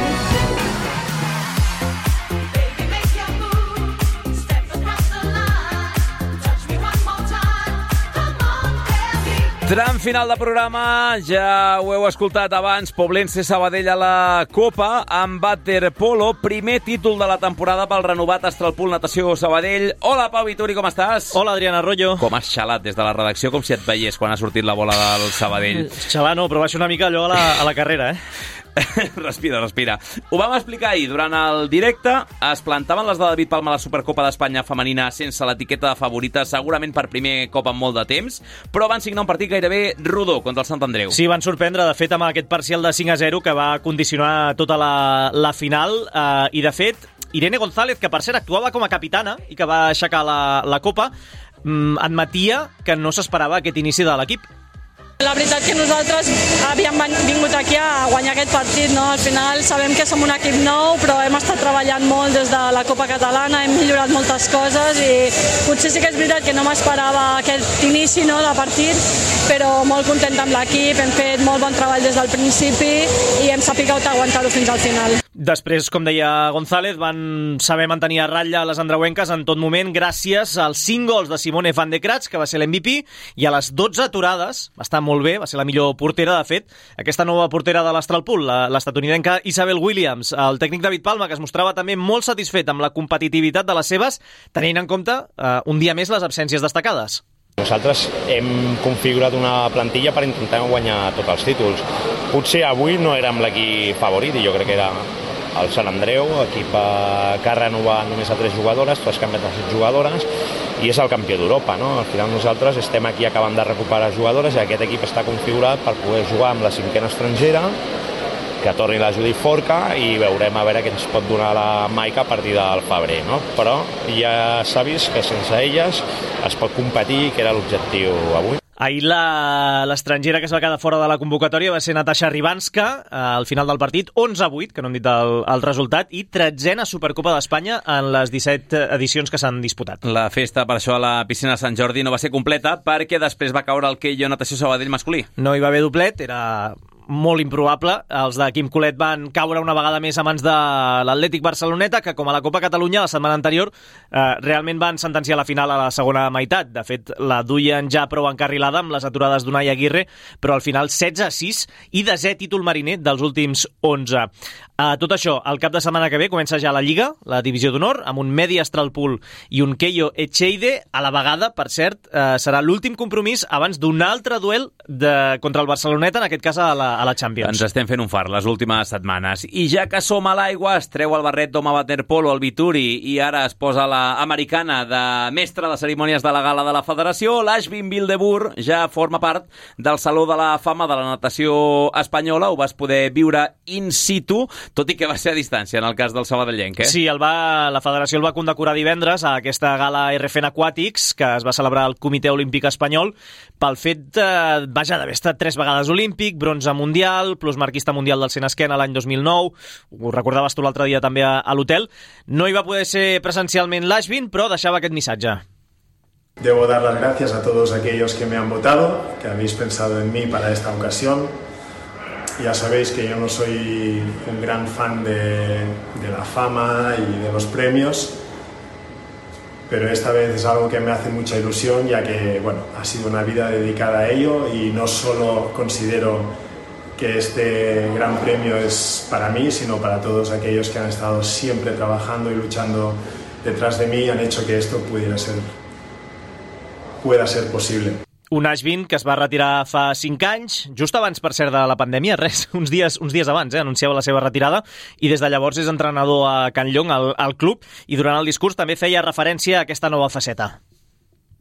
Tram final de programa, ja ho heu escoltat abans, Poblense Sabadell a la Copa, amb waterpolo, primer títol de la temporada pel renovat Astralpool Natació Sabadell. Hola, Pau Vituri, com estàs? Hola, Adriana Arroyo. Com has xalat des de la redacció, com si et veiés quan ha sortit la bola del Sabadell. Xalar no, però va ser una mica allò a la carrera, Respira. Ho vam explicar ahir. Durant el directe es plantaven les de David Palma a la Supercopa d'Espanya femenina sense l'etiqueta de favorita, segurament per primer cop en molt de temps, però van signar un partit gairebé rodó contra el Sant Andreu. Sí, van sorprendre, de fet, amb aquest parcial de 5-0 que va condicionar tota la final, i de fet, Irene González, que per cert actuava com a capitana i que va aixecar la Copa, admetia que no s'esperava aquest inici de l'equip. La veritat que nosaltres havíem vingut aquí a guanyar aquest partit, no? Al final sabem que som un equip nou, però hem estat treballant molt des de la Copa Catalana, hem millorat moltes coses i potser sí que és veritat que no m'esperava aquest inici, no, de partit, però molt content amb l'equip, hem fet molt bon treball des del principi i hem sabut aguantar-ho fins al final. Després, com deia González, van saber mantenir a ratlla les andreuenques en tot moment gràcies als 5 gols de Simone van de Kratz, que va ser l'MVP, i a les 12 aturades, va estar molt bé, va ser la millor portera, de fet, aquesta nova portera de l'Astralpool, l'estatunidenca Isabel Williams, el tècnic David Palma, que es mostrava també molt satisfet amb la competitivitat de les seves, tenint en compte un dia més les absències destacades. Nosaltres hem configurat una plantilla per intentar guanyar tots els títols. Potser avui no érem l'equip favorit, i jo crec que era el Sant Andreu, equip que ha renovat només a 3 jugadores, tu has canviat a 7 jugadores, i és el campió d'Europa, no? Al final nosaltres estem aquí acabant de recuperar jugadores i aquest equip està configurat per poder jugar amb la 5a estrangera, que torni la Judit Forca i veurem a veure què ens pot donar la Maica a partir del febrer, no? Però ja s'ha vist que sense elles es pot competir, que era l'objectiu avui. Ahir l'estrangera que es va quedar fora de la convocatòria va ser Natasha Ribanska, al final del partit, 11-8, que no hem dit el resultat, i 13a Supercopa d'Espanya en les 17 edicions que s'han disputat. La festa, per això, a la piscina de Sant Jordi no va ser completa perquè després va caure el Keio Natació Sabadell masculí. No hi va haver doblet, era molt improbable. Els de Quim Colet van caure una vegada més a mans de l'Atlètic Barceloneta, que com a la Copa Catalunya la setmana anterior realment van sentenciar la final a la segona meitat. De fet, la duien ja prou encarrilada amb les aturades d'Unai Aguirre, però al final 16-6 i 10è títol mariner dels últims 11. Tot això, el cap de setmana que ve comença ja la Lliga, la Divisió d'Honor, amb un Medi Astralpool i un Keio Echeide. A la vegada, per cert, serà l'últim compromís abans d'un altre duel contra el Barceloneta, en aquest cas a la Champions. Ens estem fent un far les últimes setmanes. I ja que som a l'aigua, es treu el barret d'home waterpolo al Vituri i ara es posa l'americana de mestre de cerimònies de la gala de la Federació. L'Ashvin Wildeboer ja forma part del Saló de la Fama de la natació espanyola. Ho vas poder viure in situ, tot i que va ser a distància en el cas del sabadellenc, Sí, la Federació el va condecorar divendres a aquesta gala RFN Aquàtics que es va celebrar al Comitè Olímpic Espanyol pel fet, d'haver estat 3 vegades olímpic, bronze mundial, plus marquista mundial del 100 esquena l'any 2009, ho recordaves tu l'altre dia també a l'hotel. No hi va poder ser presencialment l'Ashvin, però deixava aquest missatge. Debo dar las gracias a todos aquellos que me han votado, que habéis pensado en mí para esta ocasión. Ya sabéis que yo no soy un gran fan de la fama y de los premios, pero esta vez es algo que me hace mucha ilusión, ya que ha sido una vida dedicada a ello y no solo considero que este gran premio es para mí, sino para todos aquellos que han estado siempre trabajando y luchando detrás de mí y han hecho que esto pueda ser posible. Un Ashvin que es va retirar fa 5 anys, just abans, per cert, de la pandèmia, uns dies abans, anunciava la seva retirada, i des de llavors és entrenador a Can Llong, al club, i durant el discurs també feia referència a aquesta nova faceta.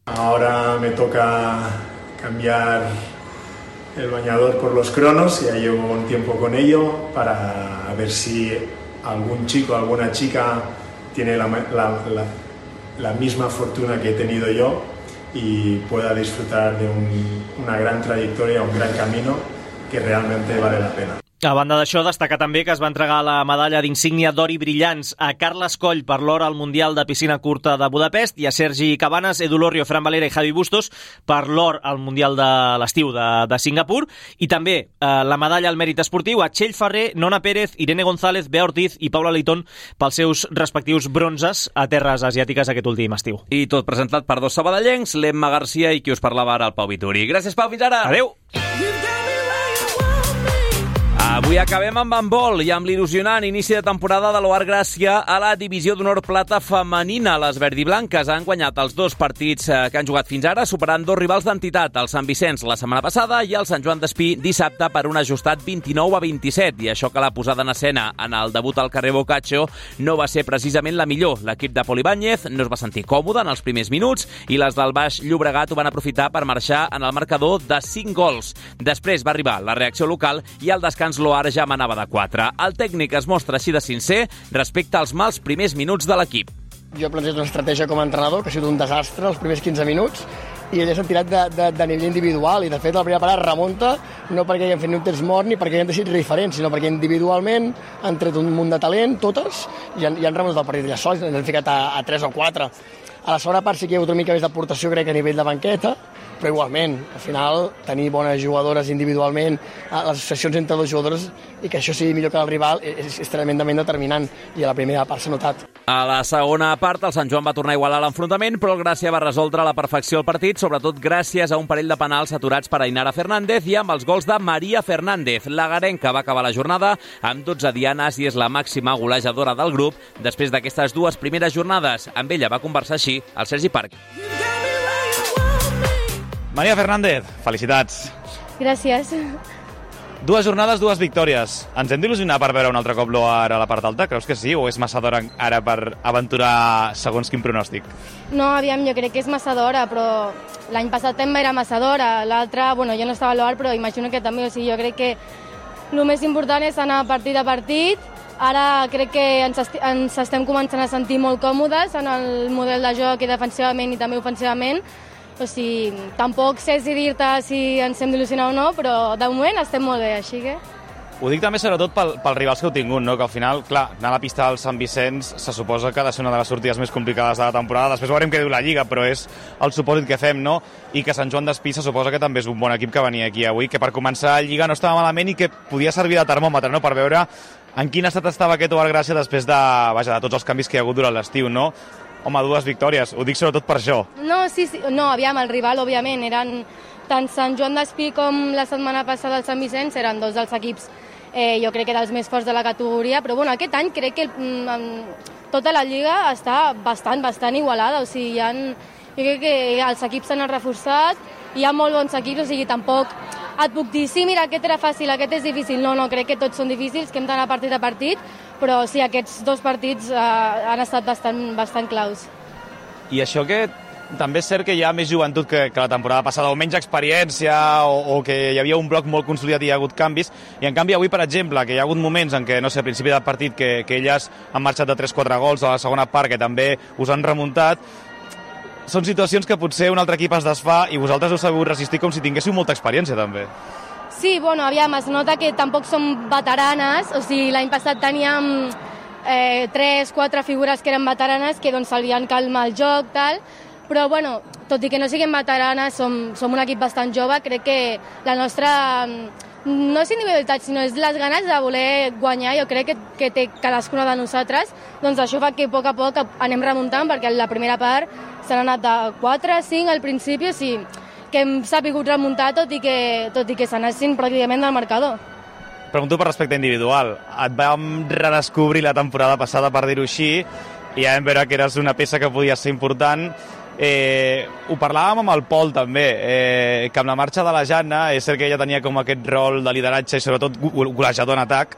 Ahora me toca cambiar el bañador por los cronos, ya llevo un tiempo con ello, para ver si algún chico o alguna chica tiene la misma fortuna que he tenido yo y pueda disfrutar de una gran trayectoria, un gran camino que realmente vale la pena. A banda d'això, destacar també que es va entregar la medalla d'insígnia d'or i brillants a Carles Coll per l'or al Mundial de Piscina Curta de Budapest i a Sergi Cabanes, Edu Lorrio, Fran Valera i Javi Bustos per l'or al Mundial de l'estiu de Singapur, i també la medalla al mèrit esportiu a Txell Ferrer, Nona Pérez, Irene González, Bea Ortiz i Paula Leitón pels seus respectius bronzes a terres asiàtiques aquest últim estiu. I tot presentat per 2 sabadellencs, l'Emma Garcia i qui us parlava ara, el Pau Vituri. Gràcies, Pau, fins ara! Adéu! Avui acabem amb handbol i amb l'il·lusionant inici de temporada de l'Oar Gràcia a la Divisió d'Honor Plata femenina. Les verdiblanques han guanyat els 2 partits que han jugat fins ara, superant 2 rivals d'entitat, el Sant Vicenç la setmana passada i el Sant Joan d'Espí dissabte per un ajustat 29-27. I això que la posada en escena en el debut al carrer Boccaccio no va ser precisament la millor. L'equip de Pol Ibáñez no es va sentir còmode en els primers minuts i les del Baix Llobregat ho van aprofitar per marxar en el marcador de 5 gols. Després va arribar la reacció local i al descans l'Oar ja manava de 4. El tècnic es mostra així de sincer respecte als mals primers minuts de l'equip. Jo he plantejat una estratègia com a entrenador que ha sigut un desastre els primers 15 minuts i elles han tirat de nivell individual i de fet la primera part remunta no perquè hagin fet ni un temps mort ni perquè hagin decidit diferents, sinó perquè individualment han tret un munt de talent, totes, i han remuntat el partit ja sols, han ficat a 3 o 4. A la segona part sí que hi ha hagut una mica més d'aportació, crec, a nivell de banqueta, però igualment, al final, tenir bones jugadores individualment, les associacions entre 2 jugadors i que això sigui millor que el rival és tremendament determinant i a la primera part s'ha notat. A la segona part, el Sant Joan va tornar a igualar l'enfrontament, però el Gràcia va resoldre a la perfecció el partit, sobretot gràcies a un parell de penals aturats per Ainara Fernández i amb els gols de Maria Fernández. La garenca va acabar la jornada amb 12 dianes i és la màxima golejadora del grup després d'aquestes 2 primeres jornades. Amb ella va conversar així el Sergi Parc. Maria Fernández, felicitats. Gràcies. 2 jornades, 2 victòries. Ens hem d'il·lusionar per veure un altre cop l'Oar a la part alta? Creus que sí o és massa d'hora ara per aventurar segons quin pronòstic? No, aviam, jo crec que és massa d'hora, però l'any passat també era massa d'hora. L'altre, jo no estava a l'Oar, però imagino que també, o sigui, jo crec que el més important és anar partit a partit. Ara crec que ens estem començant a sentir molt còmodes en el model de joc i defensivament i també ofensivament, O sigui, tampoc sé si dir-te si ens hem d'il·lusionar o no, però de moment estem molt bé, així que... Ho dic també sobretot pels rivals que heu tingut, no? Que al final, clar, anar a la pista del Sant Vicenç se suposa que ha de ser una de les sortides més complicades de la temporada. Després veurem què diu la Lliga, però és el supòsit que fem, no? I que Sant Joan d'Espí se suposa que també és un bon equip que venia aquí avui, que per començar la Lliga no estava malament i que podia servir de termòmetre, no? Per veure en quin estat estava aquest Oar Gràcia després de tots els canvis que hi ha hagut durant l'estiu, no? Home, 2 victòries, ho dic sobretot per això. No, sí, no, aviam, el rival, òbviament, eren tant Sant Joan d'Espí com la setmana passada el Sant Vicenç, eren 2 dels equips jo crec que era els més forts de la categoria, però bueno, aquest any crec que tota la Lliga està bastant igualada, o sigui, jo crec que els equips s'han reforçat, hi ha molt bons equips, o sigui, tampoc et puc dir, sí, mira, aquest era fàcil, aquest és difícil, no, crec que tots són difícils, que hem d'anar partit a partit, però sí, aquests 2 partits han estat bastant claus. I això que també és cert que hi ha més joventut que la temporada passada, o menys experiència, o que hi havia un bloc molt consolidat i hi ha hagut canvis, i en canvi avui, per exemple, que hi ha hagut moments en què, no sé, a principi del partit, que elles han marxat de 3-4 gols a la segona part, que també us han remuntat, són situacions que potser un altre equip es desfà i vosaltres heu sabut resistir com si tinguéssiu molta experiència, també. Sí, bueno, aviam, es nota que tampoc som veteranes, o sigui, l'any passat teníem 3-4 figures que eren veteranes que doncs s'havien calmat el joc, tal, però bueno, tot i que no siguem veteranes, som un equip bastant jove, crec que la nostra, no és individualitat, sinó és les ganes de voler guanyar, jo crec que té cadascuna de nosaltres, doncs això fa que a poc anem remuntant, perquè la primera part s'han anat de 4-5 al principi, o sigui, que hem sabut remuntar tot i que s'anessin pràcticament del marcador. Pregunto per respecte individual. Et vam redescobrir la temporada passada, per dir-ho així, i ja vam veure que eres una peça que podia ser important. Ho parlàvem amb el Pol també, que amb la marxa de la Jana, és cert que ella tenia com aquest rol de lideratge i sobretot golejador en atac.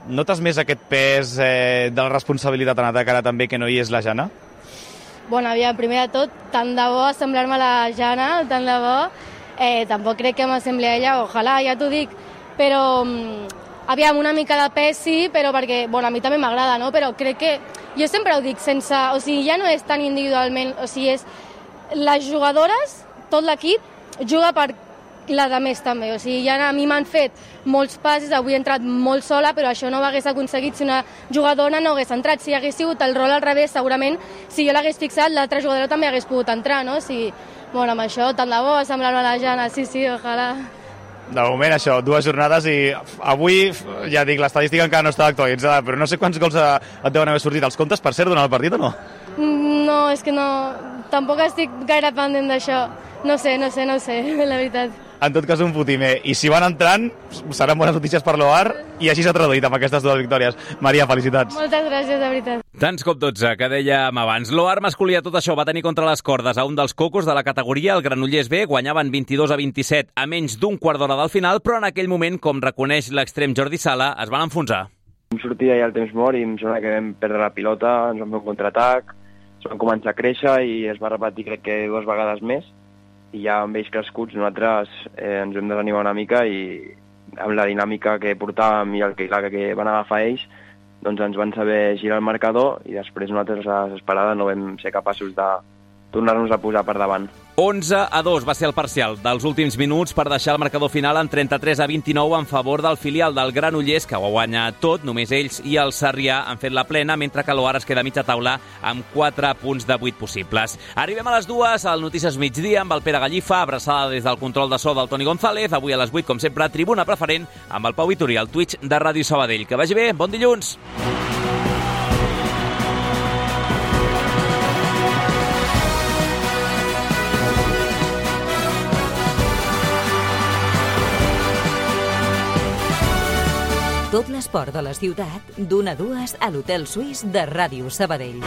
Notes més aquest pes de la responsabilitat en atac ara també que no hi és la Jana? Bueno, aviam, primer de tot, tant de bo assemblar-me a la Jana, tant de bo. Tampoc crec que m'assembli a ella, ojalà, ja t'ho dic, però aviam, una mica de pes sí, però perquè, bueno, a mi també m'agrada, no? Però crec que, jo sempre ho dic, o sigui, ja no és tan individualment, o sigui, és les jugadores, tot l'equip, juga per la de més també, o sigui, ja a mi m'han fet molts passes, avui he entrat molt sola, però això no ho hagués aconseguit si una jugadora no hagués entrat, si hagués sigut el rol al revés, segurament, si jo l'hagués fixat, l'altra jugadora també hagués pogut entrar, no? O sigui, bueno, amb això, tant de bo, assemblar-me a la Jana, sí, ojalà. De moment això, 2 jornades i avui, ja dic, l'estadística encara no està actualitzada, però no sé quants gols et deuen haver sortit. Els comptes, per cert, durant el partit o no? No, és que no, tampoc estic gaire pendent d'això. No sé, la veritat. En tot cas, un fotimer. I si van entrant, seran bones notícies per l'Oar i així s'ha traduït amb aquestes 2 victòries. Maria, felicitats. Moltes gràcies, de veritat. Tants cop 12, que dèiem abans. L'Oar masculí a tot això va tenir contra les cordes a un dels cocos de la categoria, el Granollers B, guanyaven 22-27 a menys d'un quart d'hora del final, però en aquell moment, com reconeix l'extrem Jordi Sala, es van enfonsar. Vam sortir allà al temps mort i em sembla que vam perdre la pilota, ens vam fer un contraatac, ens vam començar a créixer i es va repetir crec que 2 vegades més. I ja amb ells crescuts nosaltres ens vam desanimar una mica i amb la dinàmica que portàvem i el que van agafar ells, doncs ens van saber girar el marcador i després nosaltres a l'esperada no vam ser capaços de tornar-nos a posar per davant. 11-2 va ser el parcial dels últims minuts per deixar el marcador final en 33-29 en favor del filial del Granollers, que ho ha guanyat tot, només ells i el Sarrià han fet la plena, mentre que l'Oar es queda a mitja taula amb 4 punts de 8 possibles. Arribem a les 2 al Notícies Migdia amb el Pere Gallifa, abraçada des del control de so del Toni González, avui a les 8, com sempre, tribuna preferent amb el Pau Vitori, al Twitch de Ràdio Sabadell. Que vagi bé, bon dilluns! Tot l'esport de la ciutat, d'1 a 2 a l'Hotel Suís de Ràdio Sabadell.